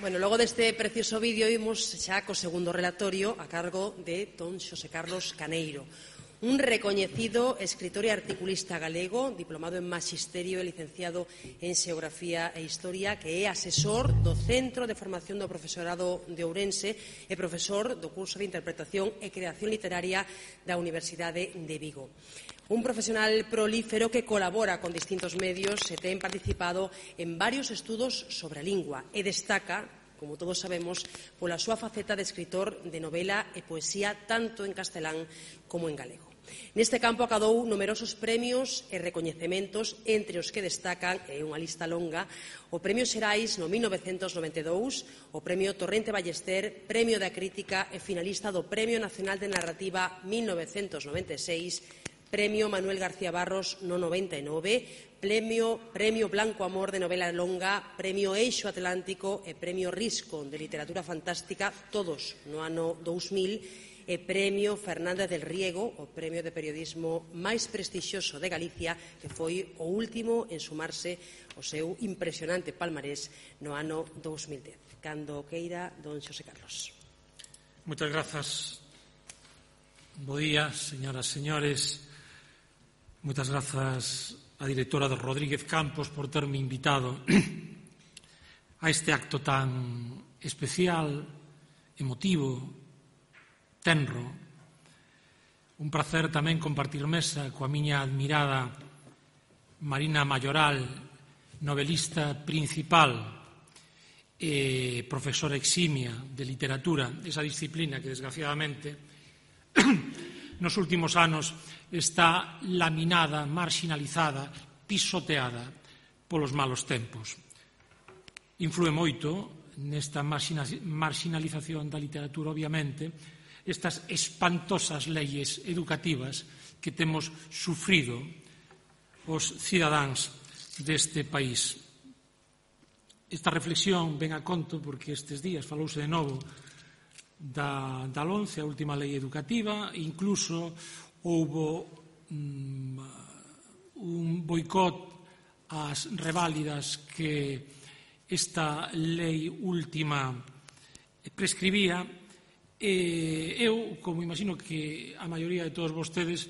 Bueno, logo deste precioso vídeo imos xa co segundo relatorio a cargo de don Xosé Carlos Caneiro, un recoñecido escritor e articulista galego, diplomado en Maxisterio e licenciado en Xeografía e Historia, que é asesor do Centro de Formación do Profesorado de Ourense e profesor do curso de Interpretación e Creación Literaria da Universidade de Vigo. Un profesional prolífero que colabora con distintos medios e ten participado en varios estudos sobre a lingua e destaca, como todos sabemos, pola súa faceta de escritor de novela e poesía tanto en castelán como en galego. Neste campo acadou numerosos premios e recoñecementos, entre os que destacan, é unha lista longa, o Premio Xerais no 1992, o Premio Torrente Ballester, Premio da Crítica e finalista do Premio Nacional de Narrativa 1996, Premio Manuel García Barros no 99, Premio Blanco Amor de novela longa, Premio Eixo Atlántico e Premio Risco de Literatura Fantástica, todos no ano 2000, e Premio Fernández del Riego, o premio de periodismo máis prestixioso de Galicia, que foi o último en sumarse ao seu impresionante palmarés no ano 2010. Cando queira, don Xosé Carlos. Moitas grazas. Bo día, señoras e señores. Moitas grazas á directora de Rodríguez Campos por terme invitado a este acto tan especial, emotivo, tenro. Un placer tamén compartir mesa coa miña admirada Marina Mayoral, novelista principal e profesora eximia de literatura, esa disciplina que desgraciadamente nos últimos anos está laminada, marxinalizada, pisoteada polos malos tempos. Inflúe moito nesta marxinalización da literatura, obviamente, estas espantosas leyes educativas que temos sufrido os cidadáns deste país. Esta reflexión ven a conto porque estes días falouse de novo da LOMCE, a última lei educativa, incluso houbo un boicot ás reválidas que esta lei última prescribía. Eu, como imagino que a maioría de todos vostedes,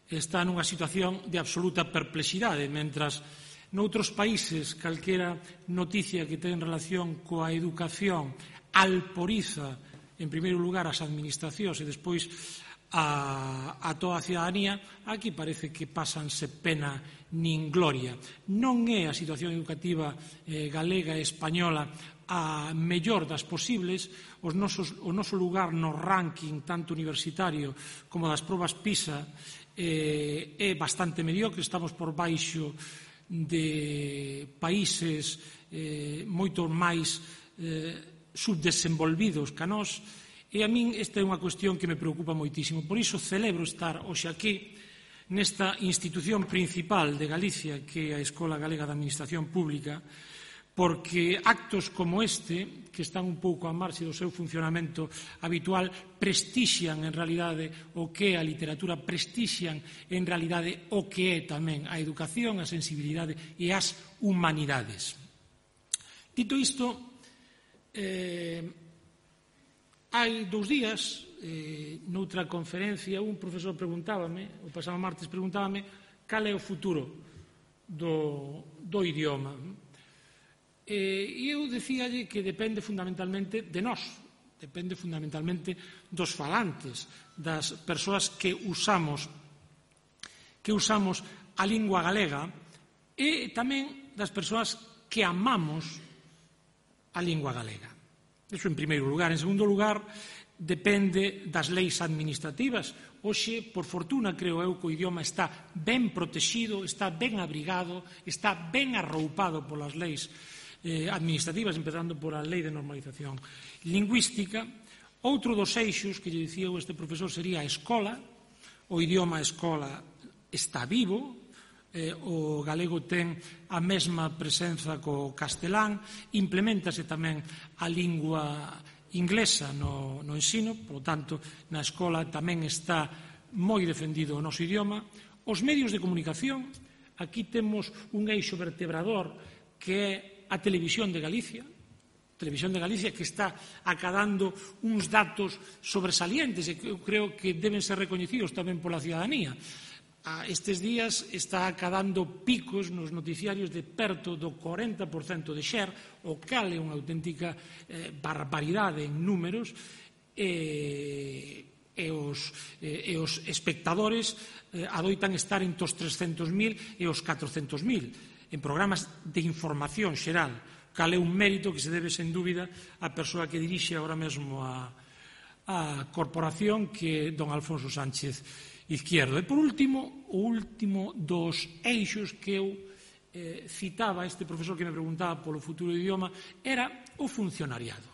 está nunha situación de absoluta perplexidade, mentras noutros países calquera noticia que ten relación coa educación alporiza, en primeiro lugar, as administracións e despois a toda a cidadanía, aquí parece que pásanse pena nin gloria. Non é a situación educativa galega e española a mellor das posibles. O noso lugar no ranking tanto universitario como das probas PISA é bastante mediocre. Estamos por baixo de países moito máis subdesenvolvidos que a nós, e a min esta é unha cuestión que me preocupa moitísimo. Por iso celebro estar hoxe aquí nesta institución principal de Galicia, que é a Escola Galega de Administración Pública, porque actos como este, que están un pouco á marxe do seu funcionamento habitual, prestixian en realidade o que é a literatura, prestixian en realidade o que é tamén a educación, a sensibilidade e as humanidades. Dito isto, hai 2 días, noutra conferencia, un profesor preguntábame, o pasado martes preguntábame, cal é o futuro do idioma. E eu dicíalle que depende fundamentalmente de nós, depende fundamentalmente dos falantes, das persoas que usamos a lingua galega e tamén das persoas que amamos a lingua galega. Iso en primeiro lugar. En segundo lugar, depende das leis administrativas. Hoxe, por fortuna, creo eu que o idioma está ben protegido, está ben abrigado, está ben arroupado polas leis administrativas, empezando por a Lei de Normalización Lingüística. Outro dos eixos que lle dicía este profesor sería a escola. O idioma a escola está vivo, o galego ten a mesma presenza co castelán, implementase tamén a lingua inglesa no ensino, polo tanto, na escola tamén está moi defendido o noso idioma. Os medios de comunicación, aquí temos un eixo vertebrador que é a Televisión de Galicia, Televisión de Galicia, que está acadando uns datos sobresalientes e que eu creo que deben ser recoñecidos tamén pola ciudadanía. Estes días está acadando picos nos noticiarios de perto do 40% de share, o cal é unha auténtica barbaridade en números, e os espectadores adoitan estar entre os 300.000 e os 400.000 en programas de información xeral, cal é un mérito que se debe, sen dúbida, á persoa que dirixe agora mesmo a corporación, que é don Alfonso Sánchez Izquierdo. E, por último, o último dos eixos que eu citaba, este profesor que me preguntaba polo futuro do idioma, era o funcionariado.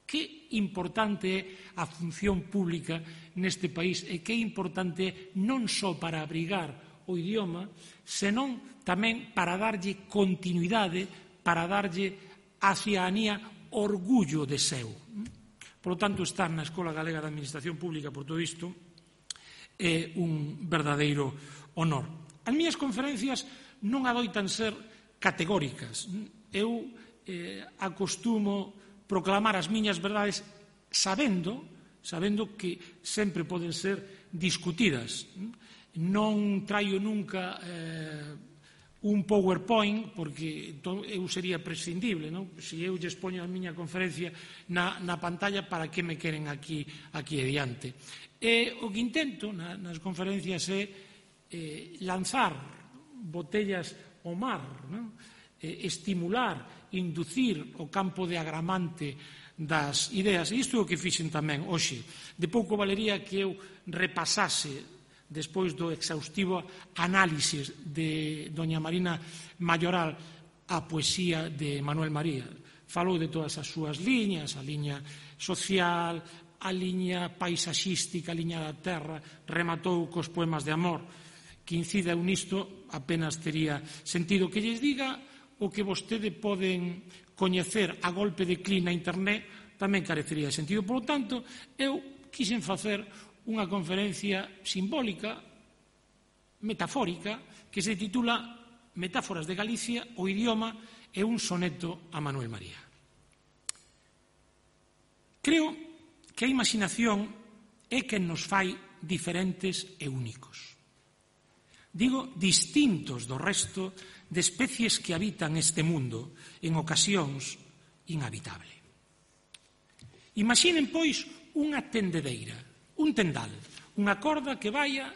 Que importante é a función pública neste país e que importante é non só para abrigar o idioma, senón tamén para darlle continuidade, para darlle á ciudadanía orgullo de seu. Por lo tanto, estar na Escola Galega de Administración Pública por todo isto é un verdadeiro honor. As miñas conferencias non adoitan ser categóricas. Eu acostumo proclamar as miñas verdades sabendo que sempre poden ser discutidas. Non traio nunca un PowerPoint, porque eu sería prescindible, non? Se eu lles poño a miña conferencia na pantalla, para que me queren aquí adiante? E o que intento nas conferencias é lanzar botellas ao mar, non? Estimular, inducir o campo de agramante das ideas. E isto é o que fixen tamén hoxe. De pouco valería que eu repasase, despois do exhaustivo análisis de doña Marina Mayoral, a poesía de Manuel María. Falou de todas as súas liñas, a liña social, a liña paisaxística, a liña da terra, rematou cos poemas de amor. Que incida nisto apenas tería sentido. Que lles diga o que vostede poden coñecer a golpe de clic na internet tamén carecería de sentido. Por lo tanto, eu quixen facer unha conferencia simbólica, metafórica, que se titula Metáforas de Galicia, o idioma e un soneto a Manuel María. Creo que a imaginación é quen nos fai diferentes e únicos. Digo, distintos do resto de especies que habitan este mundo, en ocasións inhabitable. Imaginen, pois, unha tendedeira, un tendal, unha corda que vaya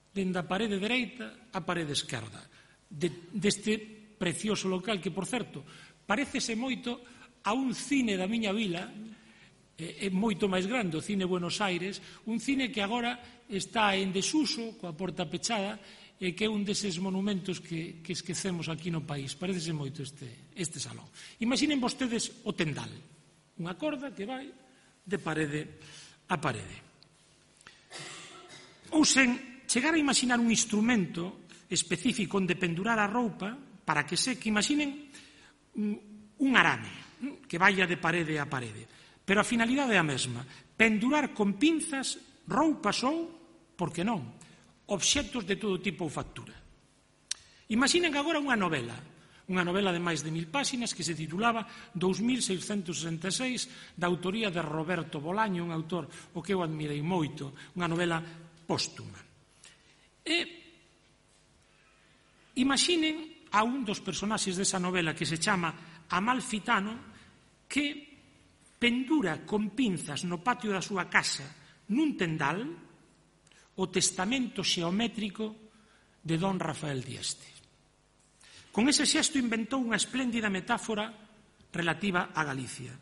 dende a parede dereita á parede esquerda deste precioso local que, por certo, parécese moito a un cine da miña vila, é moito máis grande, o Cine Buenos Aires, un cine que agora está en desuso, coa porta pechada, e que é un deses monumentos que esquecemos aquí no país. Parécese moito este salón. Imaginen vostedes o tendal, unha corda que vai de parede a parede. Ou sen chegar a imaginar un instrumento específico onde pendurar a roupa para que seque. Imaginen un arame que vaya de parede a parede, pero a finalidade é a mesma: pendurar con pinzas roupas ou, por que non, obxectos de todo tipo ou factura. Imaginen agora unha novela de máis de 1000 páxinas que se titulaba 2666, da autoría de Roberto Bolaño, un autor o que eu admirei moito, unha novela póstuma. E imaginen a un dos personaxes desa novela, que se chama Amalfitano, que pendura con pinzas no patio da súa casa nun tendal o testamento xeométrico de don Rafael Dieste. Con ese xesto inventou unha espléndida metáfora relativa a Galicia.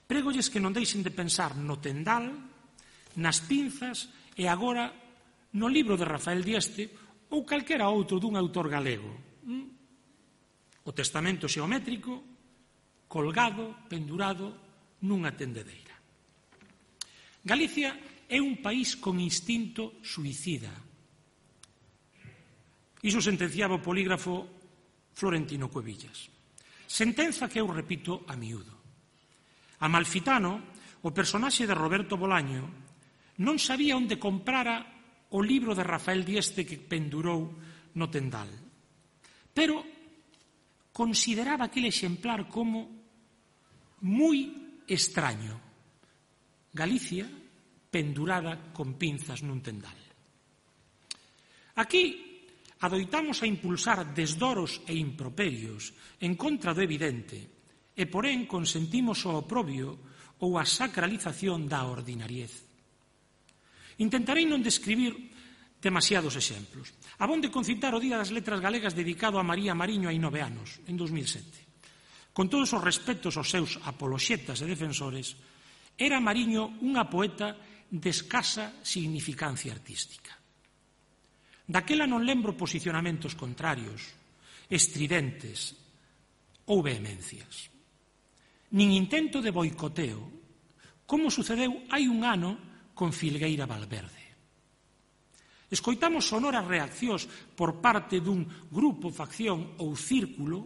Prégolles que non deixen de pensar no tendal, nas pinzas e agora no libro de Rafael Dieste ou calquera outro dun autor galego. O testamento xeométrico colgado, pendurado nunha tendedeira. Galicia é un país con instinto suicida. Iso sentenciaba o polígrafo Florentino Cuevillas. Sentenza que eu repito a miúdo. Amalfitano, o personaxe de Roberto Bolaño, non sabía onde comprara o libro de Rafael Dieste que pendurou no tendal, pero consideraba aquele exemplar como moi extraño. Galicia pendurada con pinzas nun tendal. Aquí adoitamos a impulsar desdoros e improperios en contra do evidente e, porén, consentimos o oprobio ou a sacralización da ordinariez. Intentarei non describir demasiados exemplos. Abonde concitar o Día das Letras Galegas dedicado a María Mariño hai 9 anos, en 2007. Con todos os respectos aos seus apoloxetas e defensores, era Mariño unha poeta de escasa significancia artística. Daquela non lembro posicionamentos contrarios, estridentes ou vehemencias. Nin intento de boicoteo, como sucedeu hai un ano con Filgueira Valverde. Escoitamos sonoras reaccións por parte dun grupo, facción ou círculo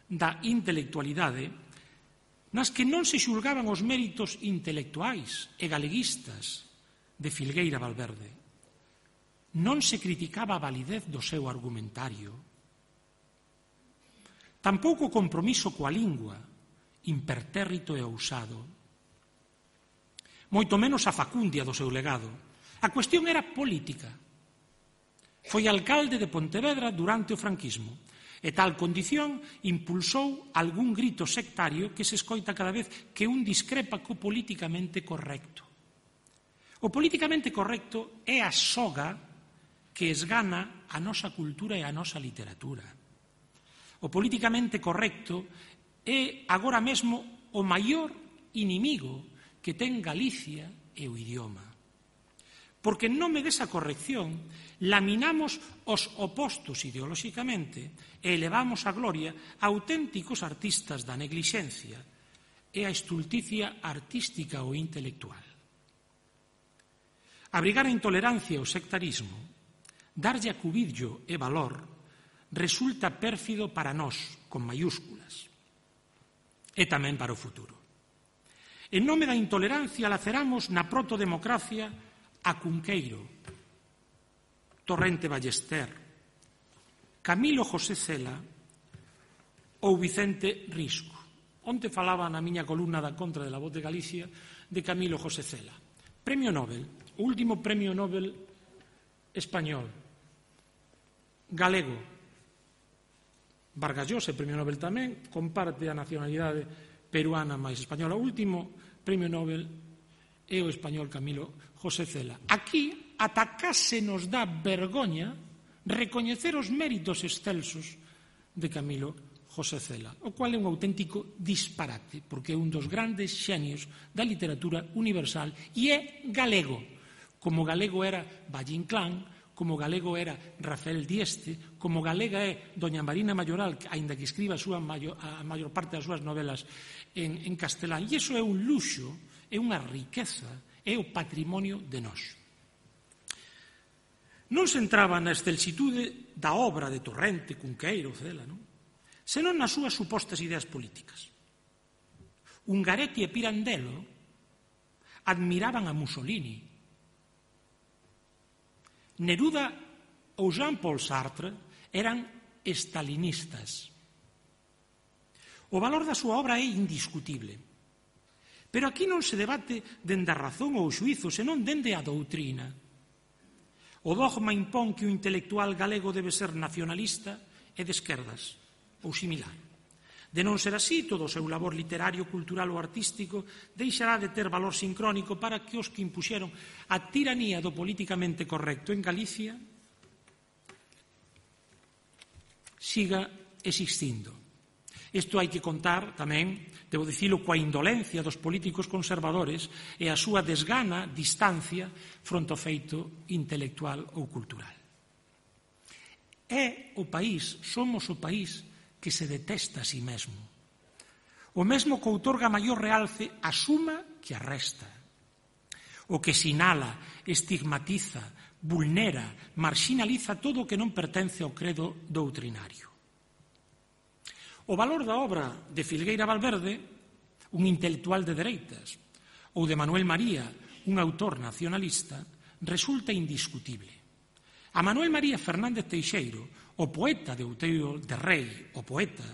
da intelectualidade nas que non se xulgaban os méritos intelectuais e galeguistas de Filgueira Valverde. Non se criticaba a validez do seu argumentario. Tampouco o compromiso coa lingua, impertérrito e ousado. Moito menos a facundia do seu legado. A cuestión era política. Foi alcalde de Pontevedra durante o franquismo e tal condición impulsou algún grito sectario que se escoita cada vez que un discrepa co políticamente correcto. O políticamente correcto é a soga que esgana a nosa cultura e a nosa literatura. O políticamente correcto é agora mesmo o maior inimigo que ten Galicia e o idioma. Porque en nome desa corrección laminamos os opostos ideolóxicamente e elevamos a gloria a auténticos artistas da neglixencia e a estulticia artística ou intelectual. Abrigar a intolerancia e o sectarismo, darlle acubillo e valor, resulta pérfido para nós, con maiúsculas, e tamén para o futuro. En nome da intolerancia laceramos na protodemocracia a Cunqueiro, Torrente Ballester, Camilo José Cela ou Vicente Risco. Onte falaba na miña columna da contra de La Voz de Galicia de Camilo José Cela. Premio Nobel, o último premio Nobel español, galego. Vargas Llosa, premio Nobel tamén, comparte a nacionalidade peruana máis española. O último premio Nobel é o español Camilo José Cela. Aquí ata case nos dá vergoña recoñecer os méritos excelsos de Camilo José Cela, o cual é un auténtico disparate, porque é un dos grandes xenios da literatura universal e é galego, como galego era Valle Inclán, como galego era Rafael Dieste, como galega é doña Marina Mayoral, aínda que escriba a maior parte das súas novelas en castelán. E iso é un luxo, é unha riqueza, é o patrimonio de nós. Non se entraba na excelsitude da obra de Torrente, Cunqueiro, Cela, non? Senón nas súas supostas ideas políticas. Ungaretti e Pirandello admiraban a Mussolini. Neruda ou Jean-Paul Sartre eran estalinistas. O valor da súa obra é indiscutible. Pero aquí non se debate dende a razón ou o xuízo, senón dende a doutrina. O dogma impón que o intelectual galego debe ser nacionalista e de esquerdas, ou similar. De non ser así, todo o seu labor literario, cultural ou artístico deixará de ter valor sincrónico para que os que impuxeron a tiranía do políticamente correcto en Galicia siga existindo. Isto hai que contar tamén, debo dicilo, coa indolencia dos políticos conservadores e a súa desgana, distancia, fronte ao feito intelectual ou cultural. É o país, somos o país que se detesta a si mesmo. O mesmo que outorga maior realce a suma que a resta. O que sinala, estigmatiza, vulnera, marxinaliza todo o que non pertence ao credo doutrinario. O valor da obra de Filgueira Valverde, un intelectual de dereitas, ou de Manuel María, un autor nacionalista, resulta indiscutible. A Manuel María Fernández Teixeiro, o poeta de Outeiro de Rei, o poeta,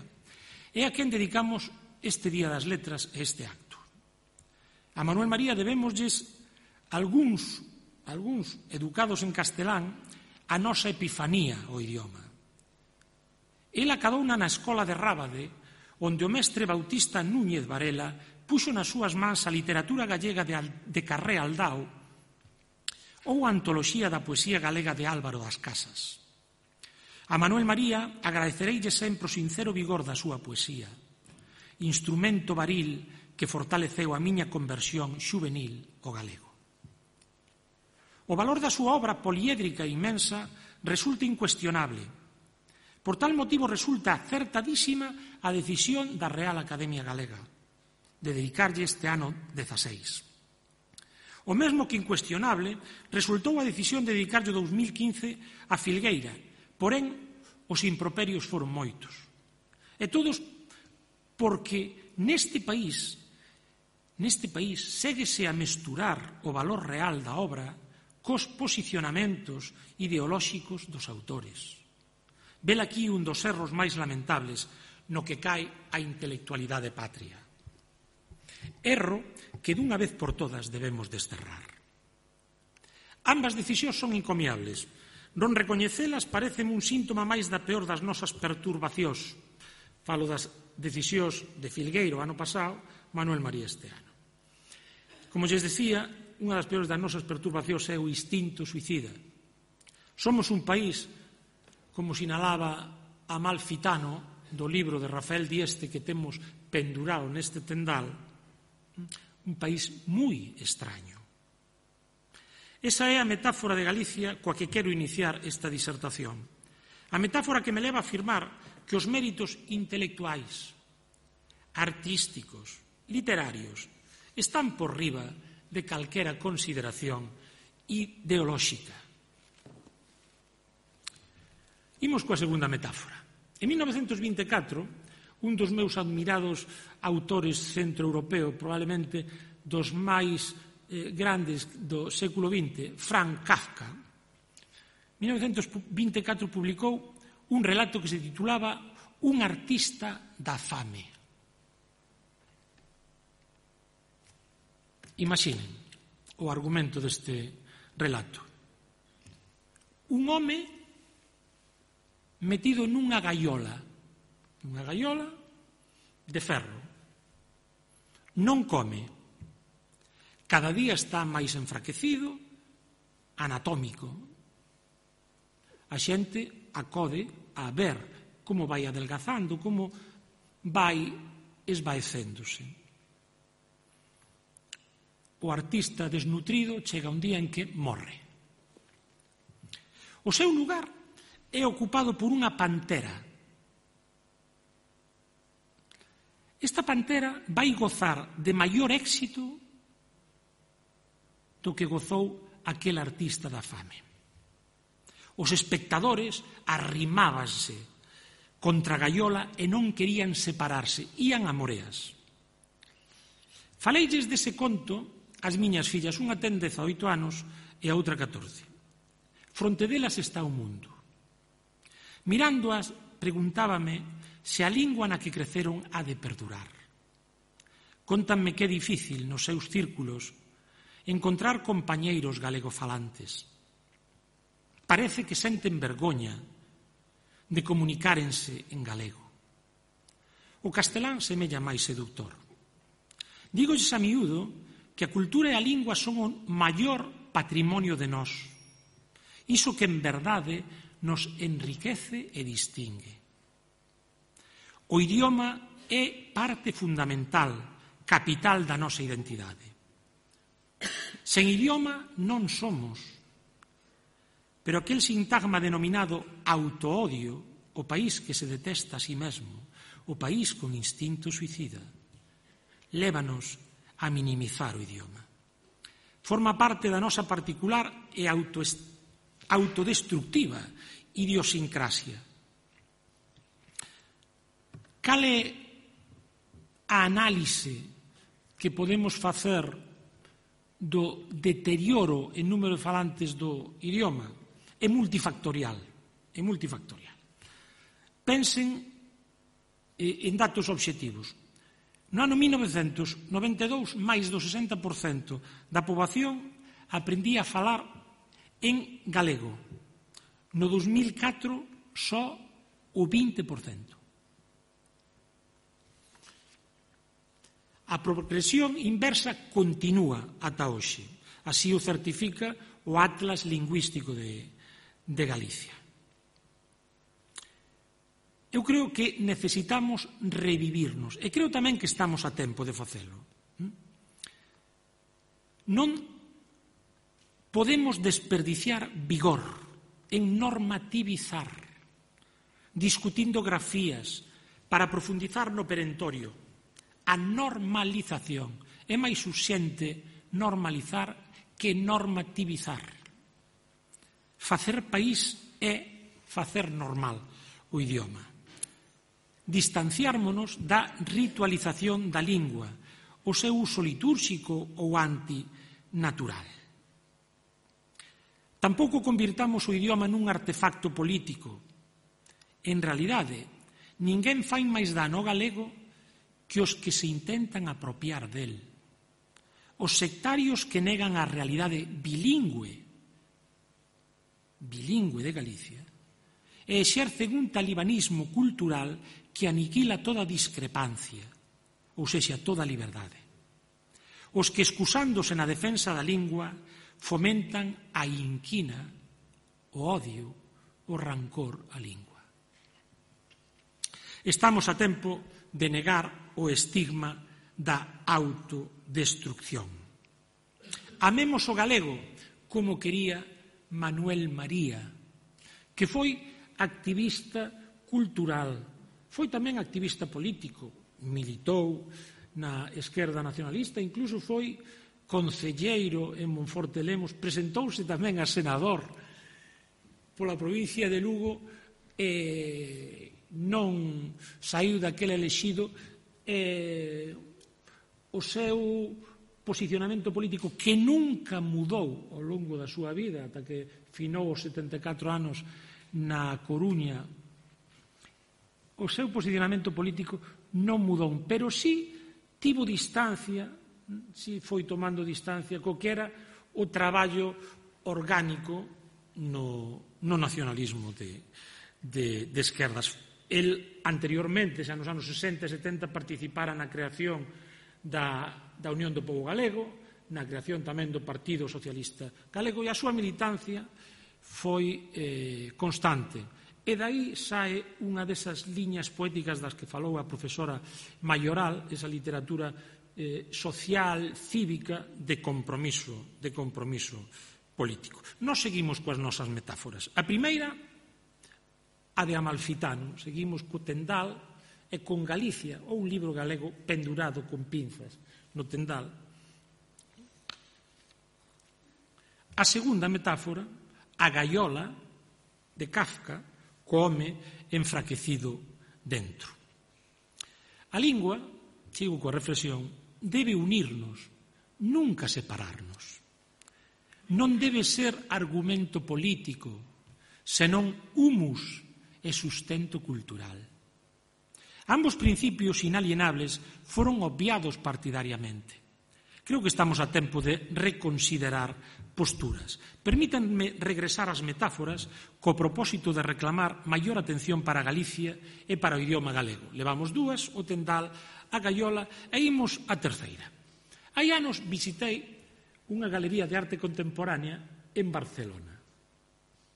é a quen dedicamos este Día das Letras e este acto. A Manuel María debémoslles algúns educados en castelán a nosa epifanía ao idioma. El acadouna na escola de Rábade, onde o mestre Bautista Núñez Varela puxo nas súas mans a literatura gallega de Carré Aldao ou a antoloxía da poesía galega de Álvaro das Casas. A Manuel María agradecereille sempre o sincero vigor da súa poesía, instrumento varil que fortaleceu a miña conversión xuvenil ao galego. O valor da súa obra poliédrica e inmensa resulta incuestionable. Por tal motivo resulta acertadísima a decisión da Real Academia Galega de dedicarlle este ano 16. O mesmo que incuestionable resultou a decisión de dedicarlle o 2015 a Filgueira, porén os improperios foron moitos. E todos porque neste país séguese a mesturar o valor real da obra cos posicionamentos ideolóxicos dos autores. Vel aquí un dos erros máis lamentables no que cae a intelectualidade patria. Erro que dunha vez por todas debemos desterrar. Ambas decisións son encomiables. Non recoñecelas pareceme un síntoma máis da peor das nosas perturbacións. Falo das decisións de Filgueiro ano pasado, Manuel María este ano. Como lles decía, unha das peores das nosas perturbacións é o instinto suicida. Somos un país, como sinalaba Amalfitano do libro de Rafael Dieste que temos pendurado neste tendal, un país moi extraño. Esa é a metáfora de Galicia coa que quero iniciar esta disertación. A metáfora que me leva a afirmar que os méritos intelectuais, artísticos, literarios, están por riba de calquera consideración ideolóxica. Imos coa segunda metáfora. En 1924, un dos meus admirados autores centroeuropeo, probablemente dos máis grandes do século XX, Franz Kafka, en 1924 publicou un relato que se titulaba Un artista da fame. Imaginen o argumento deste relato. Un home metido nunha gaiola de ferro. Non come. Cada día está máis enfraquecido, anatómico. A xente acode a ver como vai adelgazando, como vai esvaecéndose. O artista desnutrido chega un día en que morre. O seu lugar é ocupado por unha pantera. Esta pantera vai gozar de maior éxito do que gozou aquel artista da fame. Os espectadores arrimábanse contra a gaiola e non querían separarse, ían a moreas. Faleilles dese conto ás miñas fillas, unha ten 18 anos e a outra 14. Fronte delas está o mundo. Mirándoas, preguntábame se a lingua na que creceron ha de perdurar. Contanme que é difícil nos seus círculos encontrar compañeiros galegofalantes. Parece que senten vergoña de comunicárense en galego. O castelán semella máis seductor. Dígolles a miúdo que a cultura e a lingua son o maior patrimonio de nós. Iso que en verdade nos enriquece e distingue. O idioma é parte fundamental, capital da nosa identidade. Sen idioma non somos. Pero aquel sintagma denominado autoodio, o país que se detesta a sí mesmo, o país con instinto suicida, lévanos a minimizar o idioma. Forma parte da nosa particular e autodestructiva idiosincrasia. Cal é a análise que podemos facer do deterioro en número de falantes do idioma? É multifactorial. Pensen en datos obxectivos. No ano 1992, máis do 60% da poboación aprendía a falar en galego. No 2004, só o 20%. A progresión inversa continúa ata hoxe. Así o certifica o Atlas Lingüístico de Galicia. Eu creo que necesitamos revivirnos e creo tamén que estamos a tempo de facelo. Non podemos desperdiciar vigor en normativizar, discutindo grafías para profundizar no perentorio. A normalización é máis urxente normalizar que normativizar. Facer país é facer normal o idioma. Distanciármonos da ritualización da lingua, o seu uso litúrxico ou antinatural. Tampouco convirtamos o idioma nun artefacto político. En realidade, ninguén fai máis dano ao galego que os que se intentan apropiar del. Os sectarios que negan a realidade bilingüe de Galicia e exercen un talibanismo cultural que aniquila toda discrepancia, ou sexa, toda liberdade. Os que, excusándose na defensa da lingua, fomentan a inquina, o odio, o rancor á lingua. Estamos a tempo de negar o estigma da autodestrucción. Amemos o galego como quería Manuel María, que foi activista cultural, foi tamén activista político, militou na esquerda nacionalista, incluso foi concelleiro en Monforte de Lemos, presentouse tamén a senador pola provincia de Lugo e non saiu daquele elexido. O seu posicionamento político, que nunca mudou ao longo da súa vida, ata que finou os 74 anos na Coruña, o seu posicionamento político non mudou, pero sí tivo distancia, sí foi tomando distancia co que era o traballo orgánico no nacionalismo de esquerdas. El anteriormente, xa nos anos 60 e 70, participara na creación da Unión do Pobo Galego, na creación tamén do Partido Socialista Galego, e a súa militancia foi constante. E dai sae unha desas liñas poéticas das que falou a profesora Mayoral, esa literatura social, cívica, de compromiso político. Nos seguimos coas nosas metáforas. A primeira, a de Amalfitano, seguimos co tendal e con Galicia, ou un libro galego pendurado con pinzas no tendal. A segunda metáfora, a gaiola de Kafka, co home enfraquecido dentro. A lingua, sigo coa reflexión, debe unirnos, nunca separarnos. Non debe ser argumento político, senón humus e sustento cultural. Ambos principios inalienables foron obviados partidariamente. Creo que estamos a tempo de reconsiderar posturas. Permítanme regresar ás metáforas co propósito de reclamar maior atención para Galicia e para o idioma galego. Levamos dúas, o tendal, a gaiola, e imos a terceira. Hai anos visitei unha galería de arte contemporánea en Barcelona.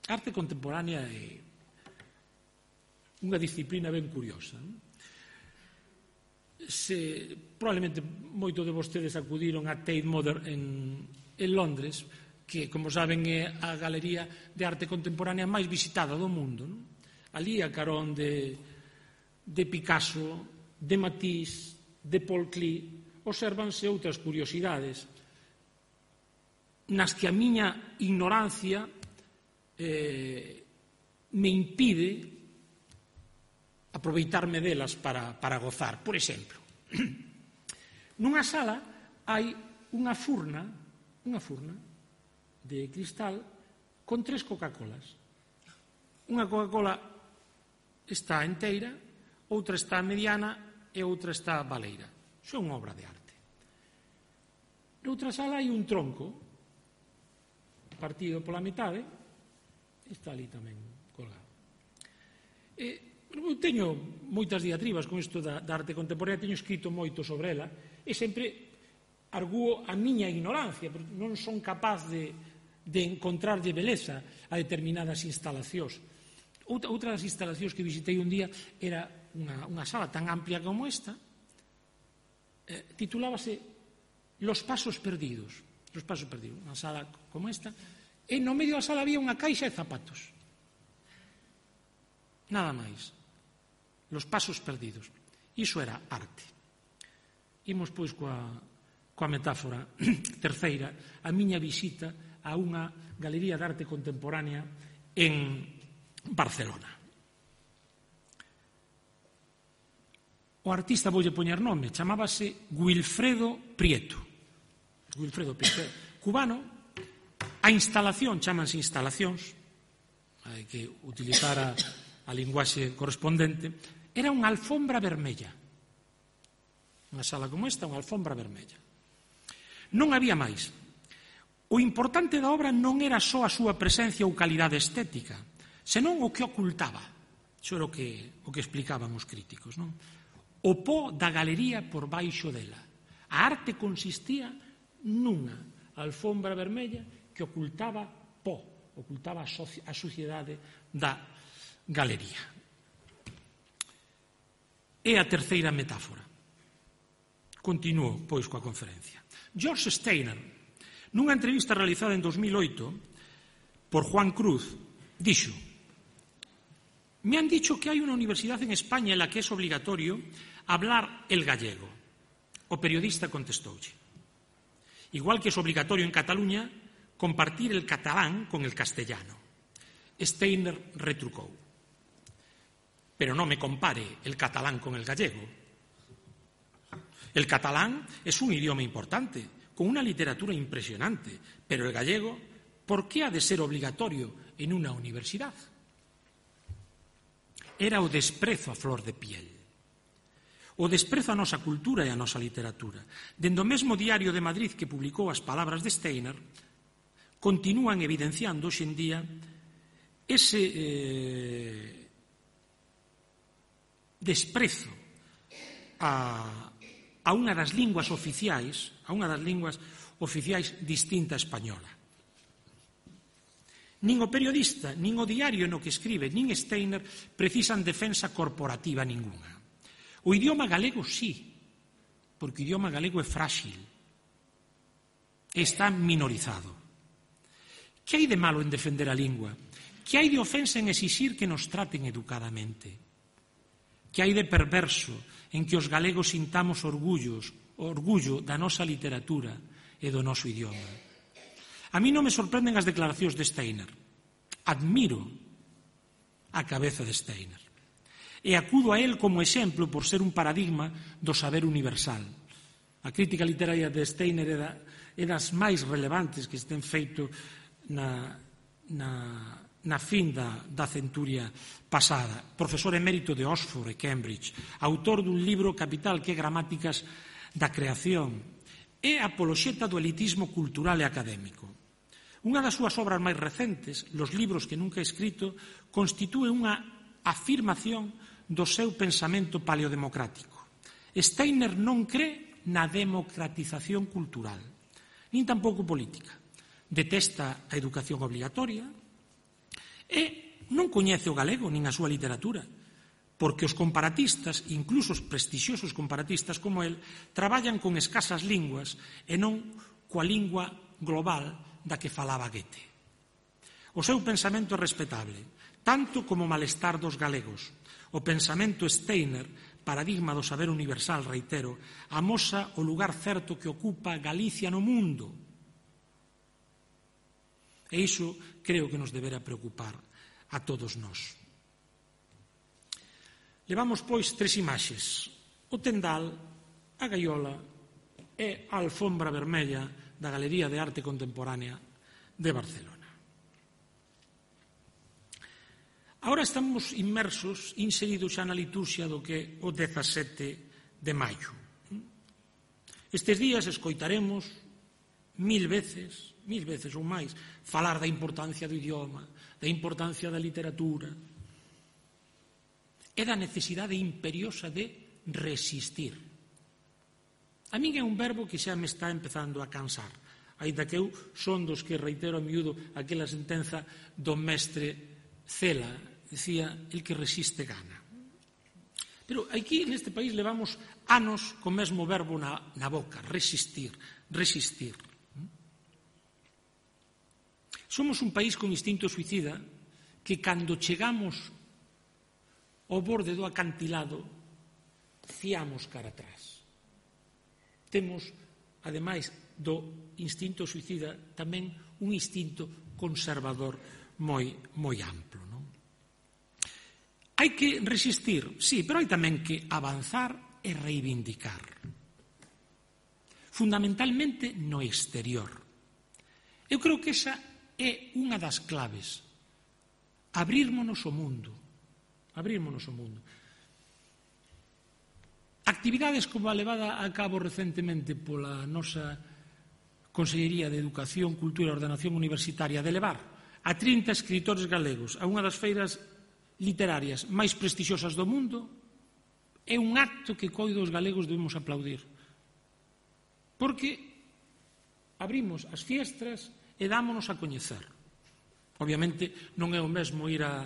A arte contemporánea é unha disciplina ben curiosa. Probablemente moito de vostedes acudiron a Tate Modern en Londres, que, como saben, é a galería de arte contemporánea máis visitada do mundo. Ali, a carón de Picasso, de Matisse, de Paul Klee, observanse outras curiosidades nas que a miña ignorancia me impide aproveitarme delas para gozar. Por exemplo, nunha sala hai unha furna de cristal con 3 Coca-Colas. Unha Coca-Cola está enteira, outra está mediana e outra está baleira. Iso é unha obra de arte. Noutra sala hai un tronco partido pola metade, está ali tamén colgado. Eu teño moitas diatribas con isto da arte contemporánea, teño escrito moito sobre ela, e sempre arguo a miña ignorancia, porque non son capaz de encontrarlle beleza a determinadas instalacións. Outra das instalacións que visitei un día era unha sala tan amplia como esta, titulábase Los Pasos Perdidos. Los Pasos Perdidos, unha sala como esta, e no medio da sala había unha caixa de zapatos. Nada máis. Los Pasos Perdidos. Iso era arte. Imos, pois, coa metáfora terceira, a miña visita a unha galería de arte contemporánea en Barcelona. O artista, voulle poñer nome, chamábase Wilfredo Prieto. Wilfredo Prieto, cubano. A instalación, chámanse instalacións, hai que utilizar a linguaxe correspondente, era unha alfombra vermella. Unha sala como esta, unha alfombra vermella. Non había máis. O importante da obra non era só a súa presencia ou calidade estética, senón o que ocultaba. Iso era o que explicaban os críticos, non? O pó da galería por baixo dela. A arte consistía nunha alfombra vermella que ocultaba pó, ocultaba a suciedade da galería. É a terceira metáfora. Continuo, pois, coa conferencia. George Steiner, nunha entrevista realizada en 2008 por Juan Cruz, dixo: «Me han dicho que hai unha universidade en España en la que es obligatorio hablar el gallego». O periodista contestoulle: «Igual que es obligatorio en Cataluña compartir el catalán con el castellano». Steiner retrucou: «Pero no me compare el catalán con el gallego. El catalán es un idioma importante, con una literatura impresionante, pero el gallego, ¿por qué ha de ser obligatorio en una universidad?». Era o desprezo a flor de piel. O desprezo a nosa cultura e a nosa literatura. Dende o mesmo Diario de Madrid que publicou as palabras de Steiner, continúan evidenciando hoxe en día ese desprezo a unha das linguas oficiais, distinta a española. Nin o periodista, nin o diario no que escribe, nin Steiner precisan defensa corporativa ninguna. O idioma galego sí, porque o idioma galego é frágil, está minorizado. Que hai de malo en defender a lingua? Que hai de ofensa en exixir que nos traten educadamente? Que hai de perverso en que os galegos sintamos orgullo da nosa literatura e do noso idioma? A mí non me sorprenden as declaracións de Steiner. Admiro a cabeza de Steiner. E acudo a él como exemplo por ser un paradigma do saber universal. A crítica literaria de Steiner é das máis relevantes que se ten feito na fin da centuria pasada. Profesor emérito de Oxford e Cambridge, autor dun libro capital que é Gramáticas da Creación, é apoloxeta do elitismo cultural e académico. Unha das súas obras máis recentes, Los libros que nunca he escrito, constitúe unha afirmación do seu pensamento paleodemocrático. Steiner non cree na democratización cultural, nin tampouco política. Detesta a educación obligatoria e non coñece o galego nin a súa literatura, porque os comparatistas, incluso os prestixiosos comparatistas como el, traballan con escasas linguas e non coa lingua global da que falaba Goethe. O seu pensamento é respetable, tanto como o malestar dos galegos. O pensamento Steiner, paradigma do saber universal, reitero, amosa o lugar certo que ocupa Galicia no mundo. E iso creo que nos debera preocupar a todos nós. Levamos, pois, 3 imaxes: o tendal, a gaiola e a alfombra vermella da Galería de Arte Contemporánea de Barcelona. Agora estamos inseridos xa na liturxia do que é o 17 de maio. Estes días escoitaremos 1000 veces ou máis, falar da importancia do idioma, da importancia da literatura, e da necesidade imperiosa de resistir. A min é un verbo que xa me está empezando a cansar, aínda que eu son dos que reitero a miúdo aquela sentenza do mestre Cela, decía, el que resiste gana. Pero aquí neste país levamos anos co mesmo verbo na boca, resistir. Somos un país con instinto suicida que cando chegamos ao borde do acantilado fiamos cara atrás. Temos, ademais do instinto suicida, tamén un instinto conservador moi amplo. Non? Hai que resistir, sí, pero hai tamén que avanzar e reivindicar. Fundamentalmente no exterior. Eu creo que esa é unha das claves. Abrírmonos ao mundo. Actividades como a levada a cabo recentemente pola nosa Consellería de Educación, Cultura e Ordenación Universitaria de levar a 30 escritores galegos a unha das feiras literarias máis prestixiosas do mundo é un acto que coido os galegos debemos aplaudir. Porque abrimos as fiestras e dámonos a coñecer. Obviamente non é o mesmo ir a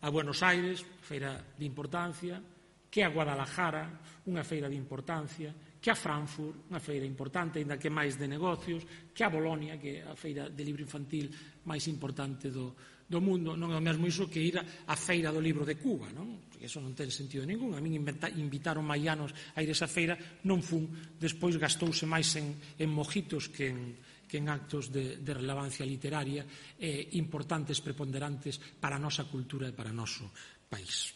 Buenos Aires, feira de importancia, que a Guadalajara, unha feira de importancia, que a Frankfurt, unha feira importante, ainda que máis de negocios, que a Bolonia, que é a feira de libro infantil máis importante do mundo. Non é o mesmo iso que ir á feira do libro de Cuba, non? Porque iso non ten sentido ningún. A min invitaron maianos a ir a esa feira, non fun, despois gastouse máis en mojitos que en actos de relevancia literaria importantes, preponderantes para a nosa cultura e para o noso país.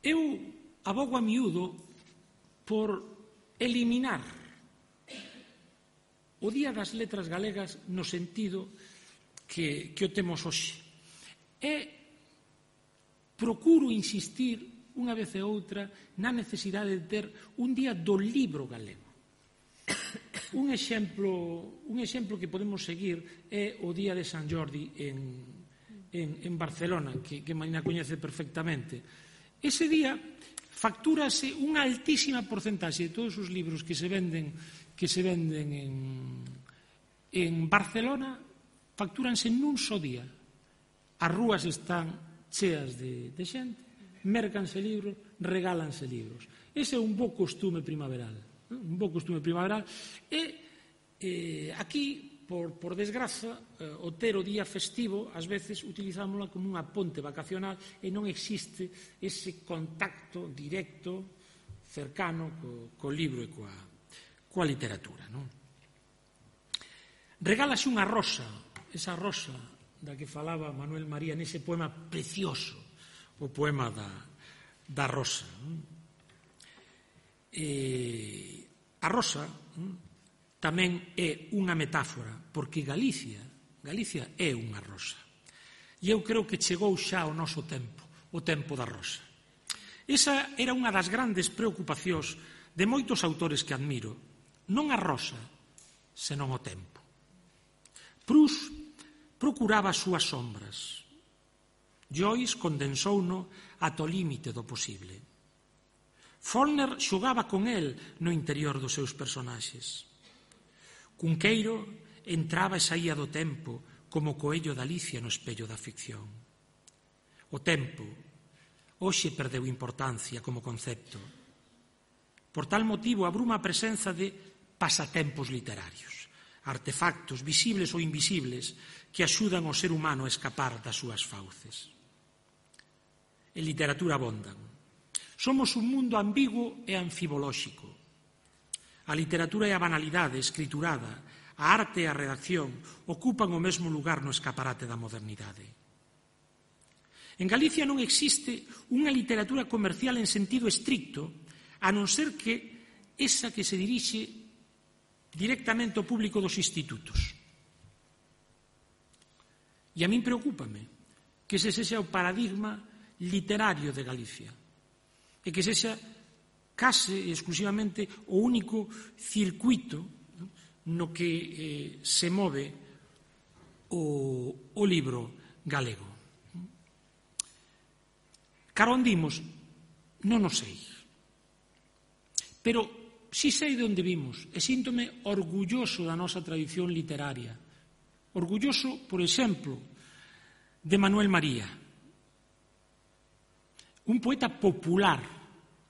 Eu abogo a miúdo por eliminar o Día das Letras Galegas no sentido que o temos hoxe. Procuro insistir unha vez e outra na necesidade de ter un día do libro galego. Un exemplo que podemos seguir é o Día de San Jordi en Barcelona, que Marina coñece perfectamente. Ese día factúrase unha altísima porcentaxe de todos os libros que se venden en Barcelona, factúranse nun só día. As rúas están cheas de xente, mércanse libros, regálanse libros. Ese é un bo costume primaveral. E aquí, por desgraza, o ter o día festivo, ás veces utilizámola como unha ponte vacacional e non existe ese contacto directo, cercano, co libro e coa literatura. Non? Regálase unha rosa, esa rosa da que falaba Manuel María nese poema precioso, o poema da rosa. A rosa tamén é unha metáfora, porque Galicia é unha rosa. E eu creo que chegou xa o noso tempo, o tempo da rosa. Esa era unha das grandes preocupacións de moitos autores que admiro, non a rosa, senón o tempo. Proust procuraba as súas sombras. Joyce condensouno ata o límite do posible. Faulkner xogaba con el no interior dos seus personaxes. Cunqueiro entraba e saía do tempo como coello da Alicia no espello da ficción. O tempo hoxe perdeu importancia como concepto. Por tal motivo abruma a presenza de pasatempos literarios, artefactos visibles ou invisibles que axudan ao ser humano a escapar das súas fauces. En literatura abondan. Somos un mundo ambiguo e anfibolóxico. A literatura e a banalidade escriturada, a arte e a redacción ocupan o mesmo lugar no escaparate da modernidade. En Galicia non existe unha literatura comercial en sentido estricto, a non ser que esa que se dirixe directamente ao público dos institutos. E a min preocúpame que ese sexa o paradigma literario de Galicia e que sexa case exclusivamente o único circuito no que se move o libro galego. Cara onde imos? Non o sei. Pero si sei de onde vimos e síntome orgulloso da nosa tradición literaria. Orgulloso, por exemplo, de Manuel María, un poeta popular,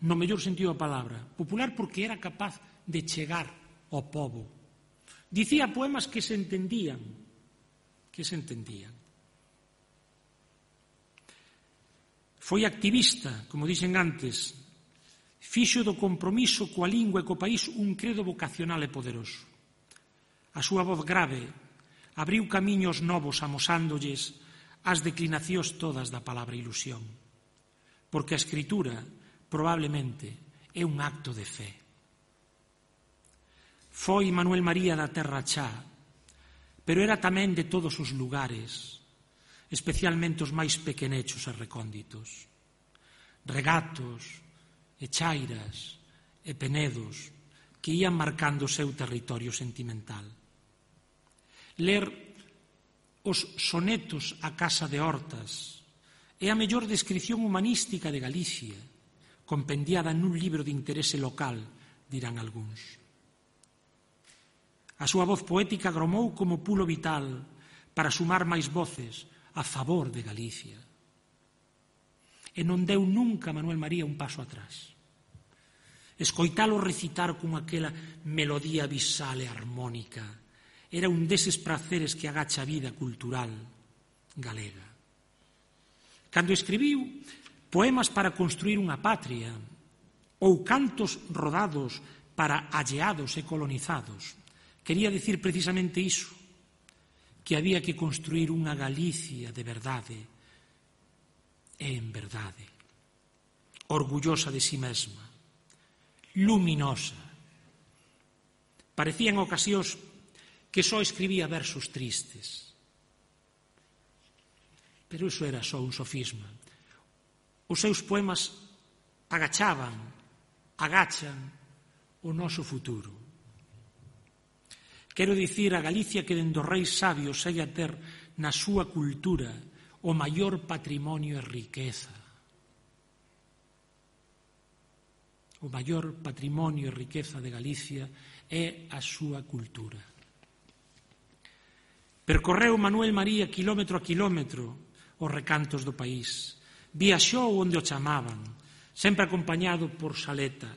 no mellor sentido da palabra, popular porque era capaz de chegar ao pobo. Dicía poemas que se entendían, Foi activista, como dixen antes, fixo do compromiso coa lingua e co país un credo vocacional e poderoso. A súa voz grave abriu camiños novos amosándolles as declinacións todas da palabra ilusión, porque a escritura probablemente é un acto de fe. Foi Manuel María da Terra Chá, pero era tamén de todos os lugares, especialmente os máis pequenechos e recónditos. Regatos, e chairas, e penedos que ían marcando o seu territorio sentimental. Ler os sonetos a Casa de Hortas é a mellor descrición humanística de Galicia, compendiada nun libro de interese local, dirán algúns. A súa voz poética gromou como pulo vital para sumar máis voces a favor de Galicia. E non deu nunca Manuel María un paso atrás. Escoitalo recitar con aquela melodía visal e armónica era un deses praceres que agacha a vida cultural galega. Cando escribiu poemas para construir unha patria ou cantos rodados para alleados e colonizados, quería dicir precisamente iso, que había que construir unha Galicia de verdade e en verdade, orgullosa de si mesma, luminosa. Parecía en ocasións que só escribía versos tristes. Pero iso era só un sofisma. Os seus poemas agachan o noso futuro. Quero dicir a Galicia que dende os reis sabios segue a ter na súa cultura o maior patrimonio e riqueza. O maior patrimonio e riqueza de Galicia é a súa cultura. Percorreu Manuel María quilómetro a quilómetro os recantos do país. Viaxou onde o chamaban, sempre acompañado por Saleta,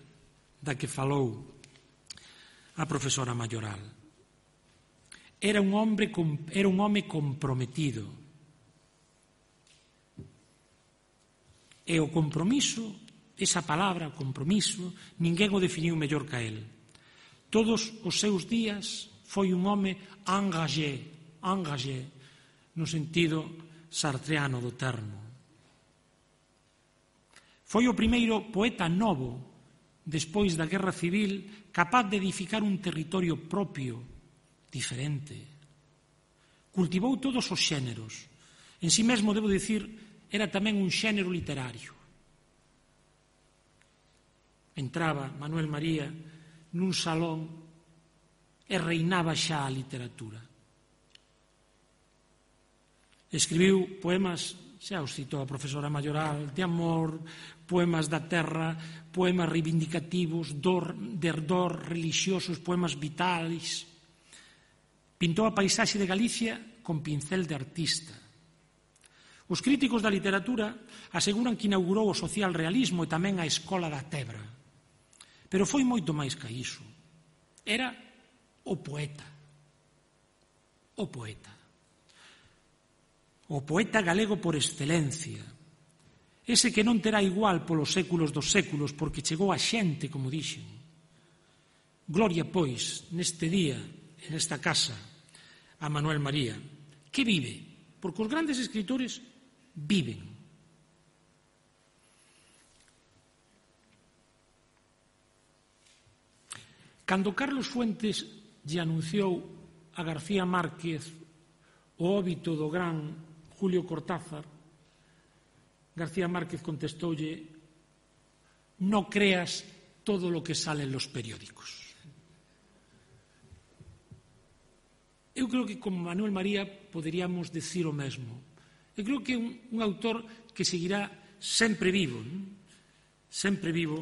da que falou a profesora Mayoral. Era un home comprometido. E o compromiso, esa palabra, compromiso, ninguén o definiu mellor que el. Todos os seus días foi un home engagé, no sentido sartreano do termo. Foi o primeiro poeta novo, despois da Guerra Civil, capaz de edificar un territorio propio, diferente. Cultivou todos os xéneros. En si mesmo, debo dicir, era tamén un xénero literario. Entraba Manuel María nun salón e reinaba xa a literatura. Escribiu poemas, xa os citou a profesora Mayoral, de amor, poemas da terra, poemas reivindicativos, de ardor relixiosos, poemas vitais. Pintou a paisaxe de Galicia con pincel de artista. Os críticos da literatura aseguran que inaugurou o social realismo e tamén a escola da Tebra. Pero foi moito máis que iso. Era o poeta. O poeta. O poeta galego por excelencia. Ese que non terá igual polos séculos dos séculos porque chegou a xente, como dixen. Gloria, pois, neste día, nesta casa, a Manuel María, que vive, porque os grandes escritores viven. Cando Carlos Fuentes lle anunciou a García Márquez o óbito do gran Julio Cortázar, García Márquez contestoulle: «No creas todo lo que sale en los periódicos. Eu creo que con Manuel María poderíamos decir o mesmo. Eu creo que é un autor que seguirá sempre vivo, sempre vivo,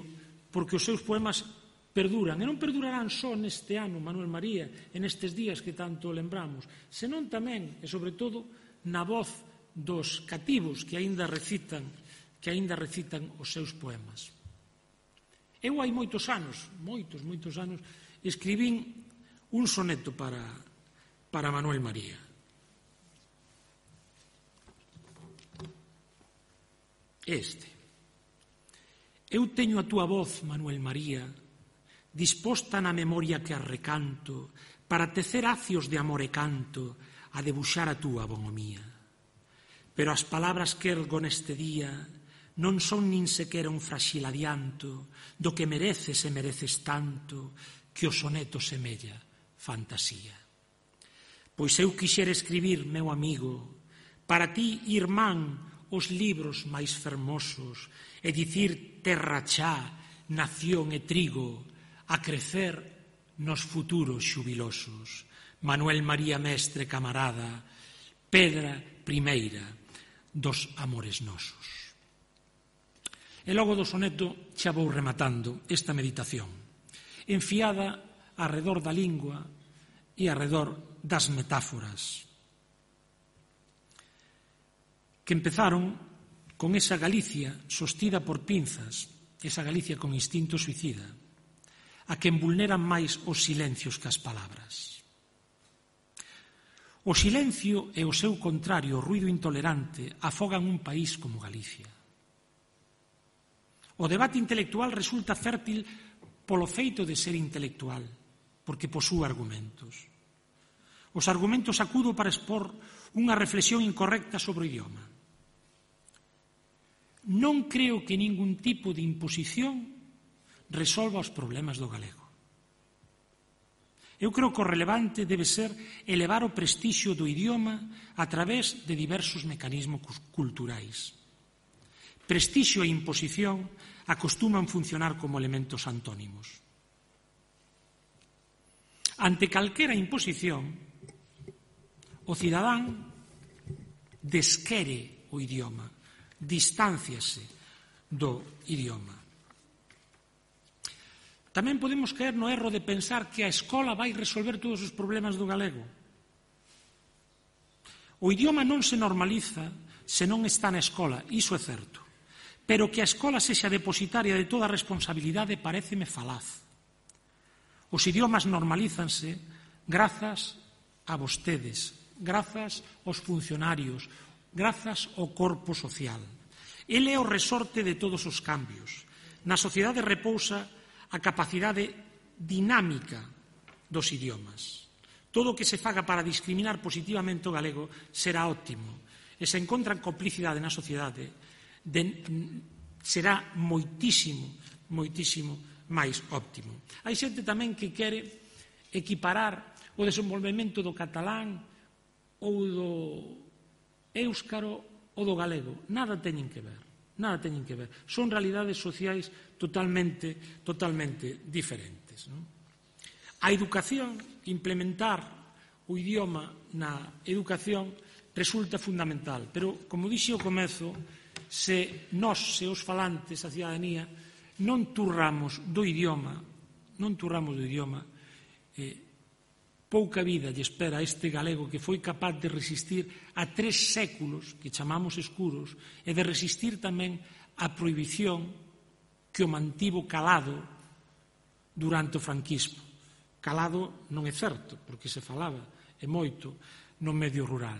porque os seus poemas perduran, e non perdurarán só neste ano, Manuel María, en estes días que tanto lembramos, senón tamén, e sobre todo, na voz dos cativos que aínda recitan os seus poemas. Eu hai moitos anos, escribín un soneto para Manuel María. Este. Eu teño a túa voz, Manuel María, disposta na memoria que arrecanto, para tecer acios de amor e canto, a debuxar a túa bonomía. Pero as palabras que ergo neste día non son nin sequera un fraxil adianto do que mereces e mereces tanto que o soneto semella fantasía. Pois eu quixera escribir, meu amigo, para ti, irmán, os libros máis fermosos e dicir terra xa, nación e trigo, a crecer nos futuros xubilosos. Manuel María mestre camarada, pedra primeira dos amores nosos. E logo do soneto xa vou rematando esta meditación, enfiada arredor da lingua e arredor das metáforas, que empezaron con esa Galicia sostida por pinzas, esa Galicia con instinto suicida, a quen vulneran máis os silencios que as palabras. O silencio e o seu contrario, o ruído intolerante, afogan un país como Galicia. O debate intelectual resulta fértil polo feito de ser intelectual, porque posúe argumentos. Os argumentos acudo para expor unha reflexión incorrecta sobre o idioma. Non creo que ningún tipo de imposición resolva os problemas do galego. Eu creo que o relevante debe ser elevar o prestixio do idioma a través de diversos mecanismos culturais. Prestixio e imposición acostuman funcionar como elementos antónimos. Ante calquera imposición, o cidadán desquere o idioma, distánciase do idioma. Tamén podemos caer no erro de pensar que a escola vai resolver todos os problemas do galego. O idioma non se normaliza se non está na escola, iso é certo. Pero que a escola sexa depositaria de toda a responsabilidade paréceme falaz. Os idiomas normalízanse grazas a vostedes, grazas aos funcionarios, grazas ao corpo social. Ele é o resorte de todos os cambios. Na sociedade repousa a capacidade dinámica dos idiomas. Todo o que se faga para discriminar positivamente o galego será óptimo. E se encontran complicidade na sociedade, será moitísimo máis óptimo. Hai xente tamén que quere equiparar o desenvolvemento do catalán ou do éuscaro ou do galego. Nada teñen que ver. Son realidades sociais totalmente diferentes. A educación, implementar o idioma na educación resulta fundamental, pero, como dixe ao comezo, se nós, se os falantes, a cidadanía, non turramos do idioma, pouca vida lle espera a este galego que foi capaz de resistir a 3 séculos, que chamamos escuros, e de resistir tamén a prohibición que o mantivo calado durante o franquismo. Calado non é certo, porque se falaba e moito no medio rural.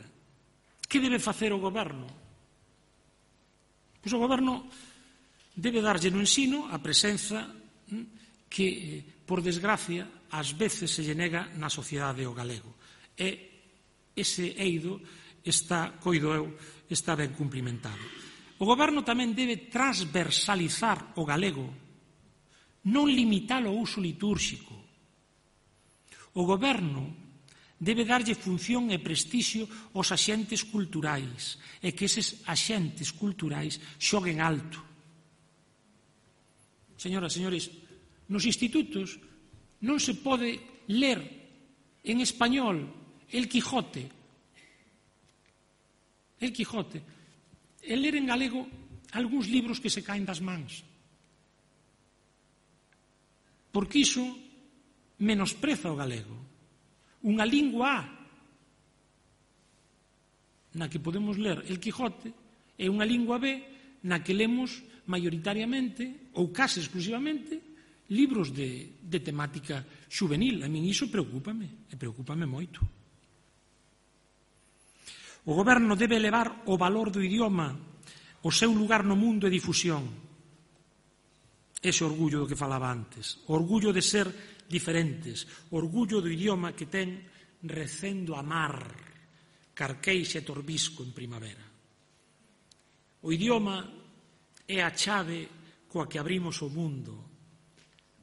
Que debe facer o goberno? Pois o goberno debe darlle no ensino a presenza que, por desgracia, ás veces se lle nega na sociedade o galego. E ese eido está, coido eu, está ben cumplimentado. O goberno tamén debe transversalizar o galego, non limitalo ao uso litúrxico. O goberno debe darlle función e prestixio aos axentes culturais e que eses axentes culturais xoguen alto. Señoras, señores, nos institutos non se pode ler en español El Quijote. El Quijote. E ler en galego algúns libros que se caen das mans. Porque iso menospreza o galego. Unha lingua na que podemos ler El Quijote e unha lingua B na que lemos maioritariamente ou case exclusivamente libros de temática xuvenil. A min iso preocúpame, e preocúpame moito. O goberno debe elevar o valor do idioma, o seu lugar no mundo e difusión. Ese orgullo do que falaba antes, o orgullo de ser diferentes, o orgullo do idioma que ten recendo a mar, carqueixa e torbisco en primavera. O idioma é a chave coa que abrimos o mundo,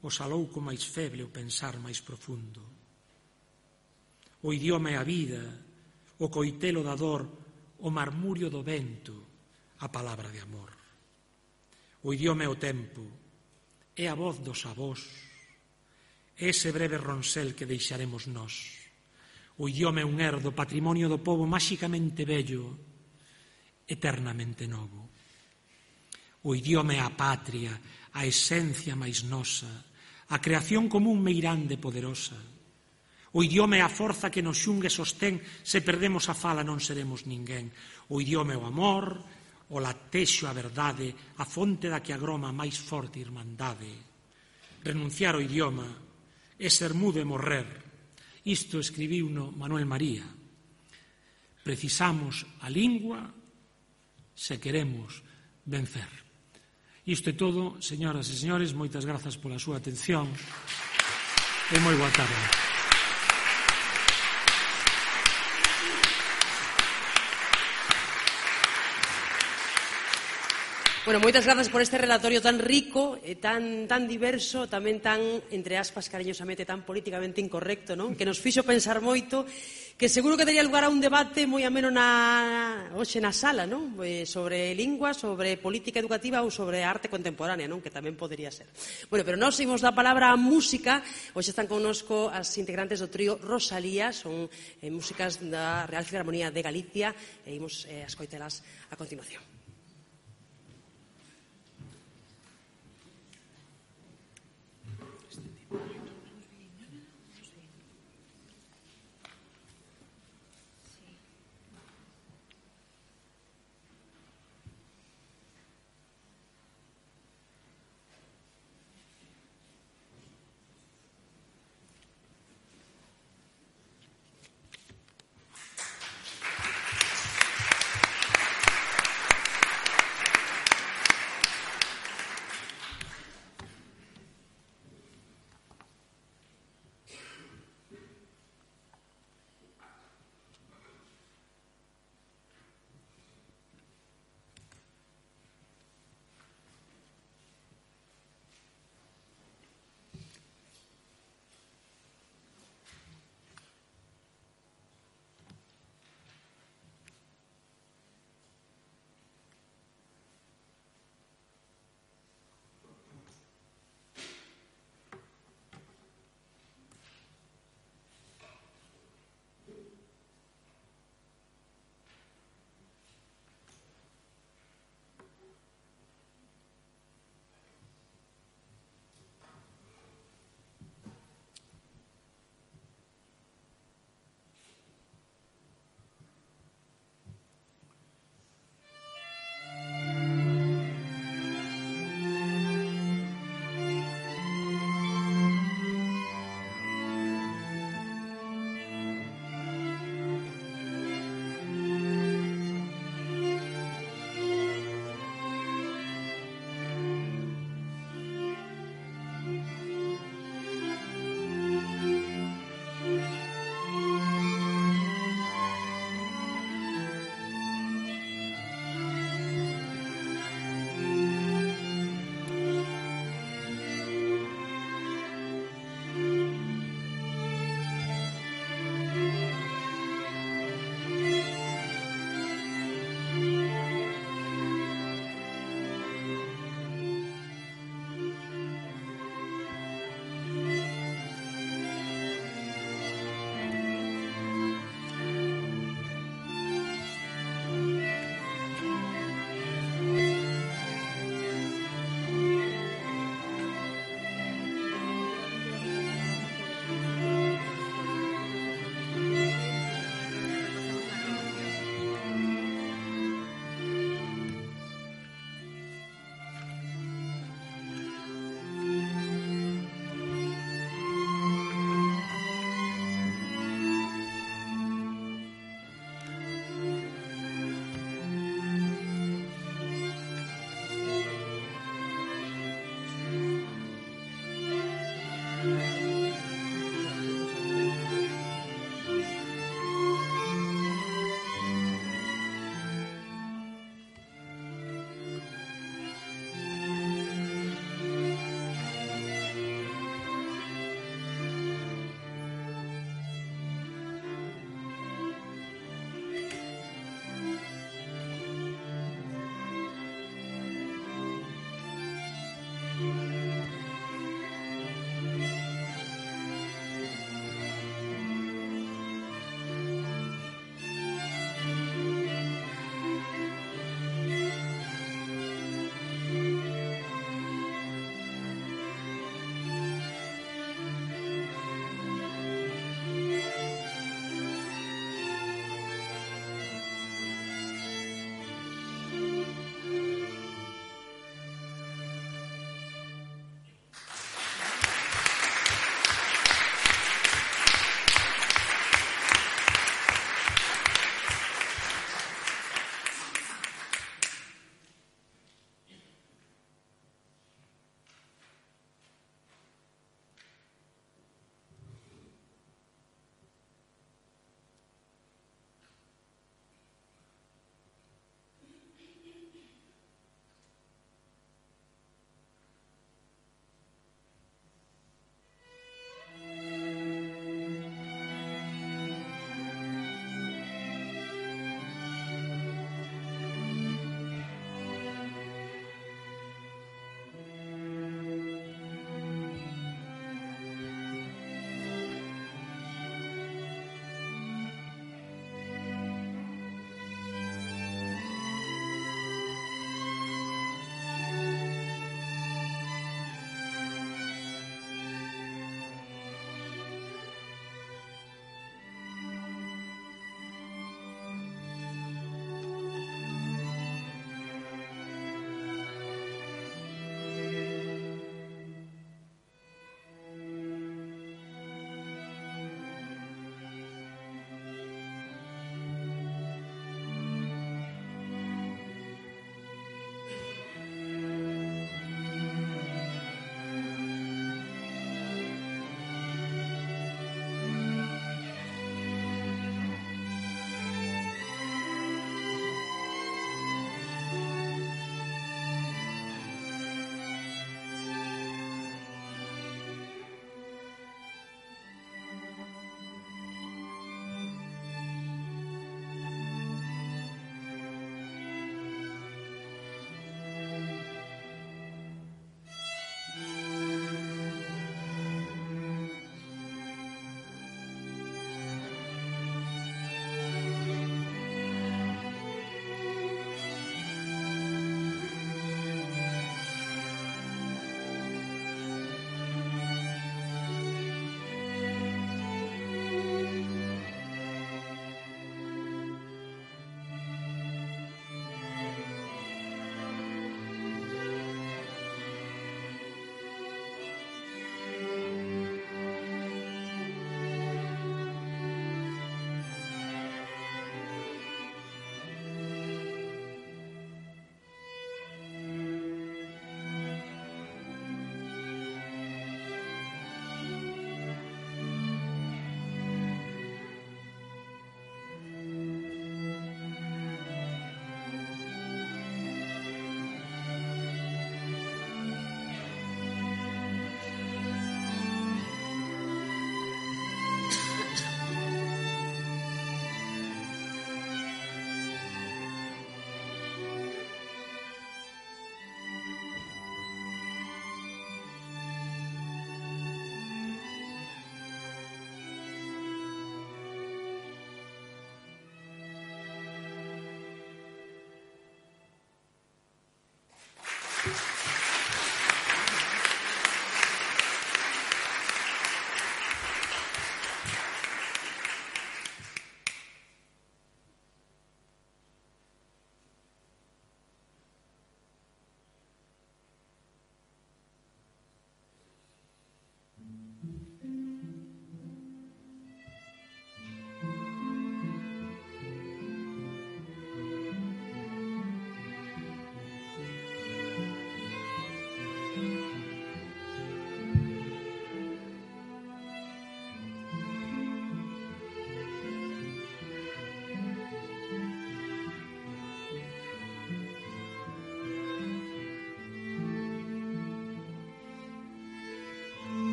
o salouco máis feble, o pensar máis profundo. O idioma é a vida, o coitelo da dor, o marmurio do vento, a palabra de amor. O idioma é o tempo, é a voz dos avós, é ese breve ronsel que deixaremos nós. O idioma é un herdo, patrimonio do pobo máxicamente bello, eternamente novo. O idioma é a patria, a esencia máis nosa, a creación común meirande poderosa. O idioma é a forza que nos xungue e sostén, se perdemos a fala non seremos ninguén. O idioma é o amor, o latexo a verdade, a fonte da que agroma a máis forte irmandade. Renunciar ao idioma é ser mudo e morrer. Isto escribiuno Manuel María. Precisamos a lingua se queremos vencer. Isto é todo, señoras e señores, moitas grazas pola súa atención e moi boa tarde. Bueno, moitas grazas por este relatorio tan rico e tan diverso, tamén tan, entre aspas, cariñosamente, tan políticamente incorrecto, non? Que nos fixo pensar moito, que seguro que daría lugar a un debate moi ameno hoxe na sala, non? Sobre lingua, sobre política educativa ou sobre arte contemporánea, non? Que tamén podería ser. Bueno, pero nós imos da palabra a música. Hoxe están connosco as integrantes do trío Rosalía, son músicas da Real Filarmonía de Galicia, e imos a escoitelas a continuación.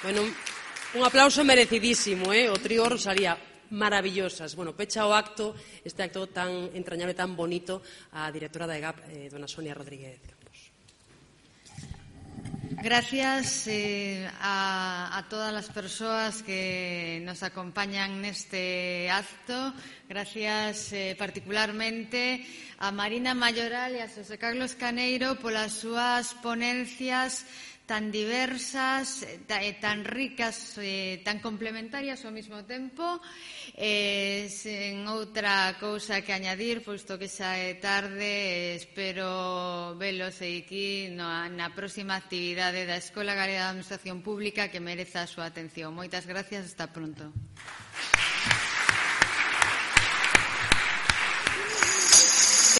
Bueno, un aplauso merecidísimo, o trío Rosalía, maravillosas. Bueno, pecha o acto, este acto tan entrañable, tan bonito, a directora da EGAP, dona Sonia Rodríguez Campos. Gracias a todas las persoas que nos acompañan neste acto. Gracias particularmente a Marina Mayoral e a Xosé Carlos Caneiro polas súas ponencias tan diversas, tan ricas, tan complementarias ao mesmo tempo. Sen outra cousa que añadir, posto que xa é tarde, espero velos aquí na próxima actividade da Escola Galega de Administración Pública que mereza a súa atención. Moitas gracias, hasta pronto.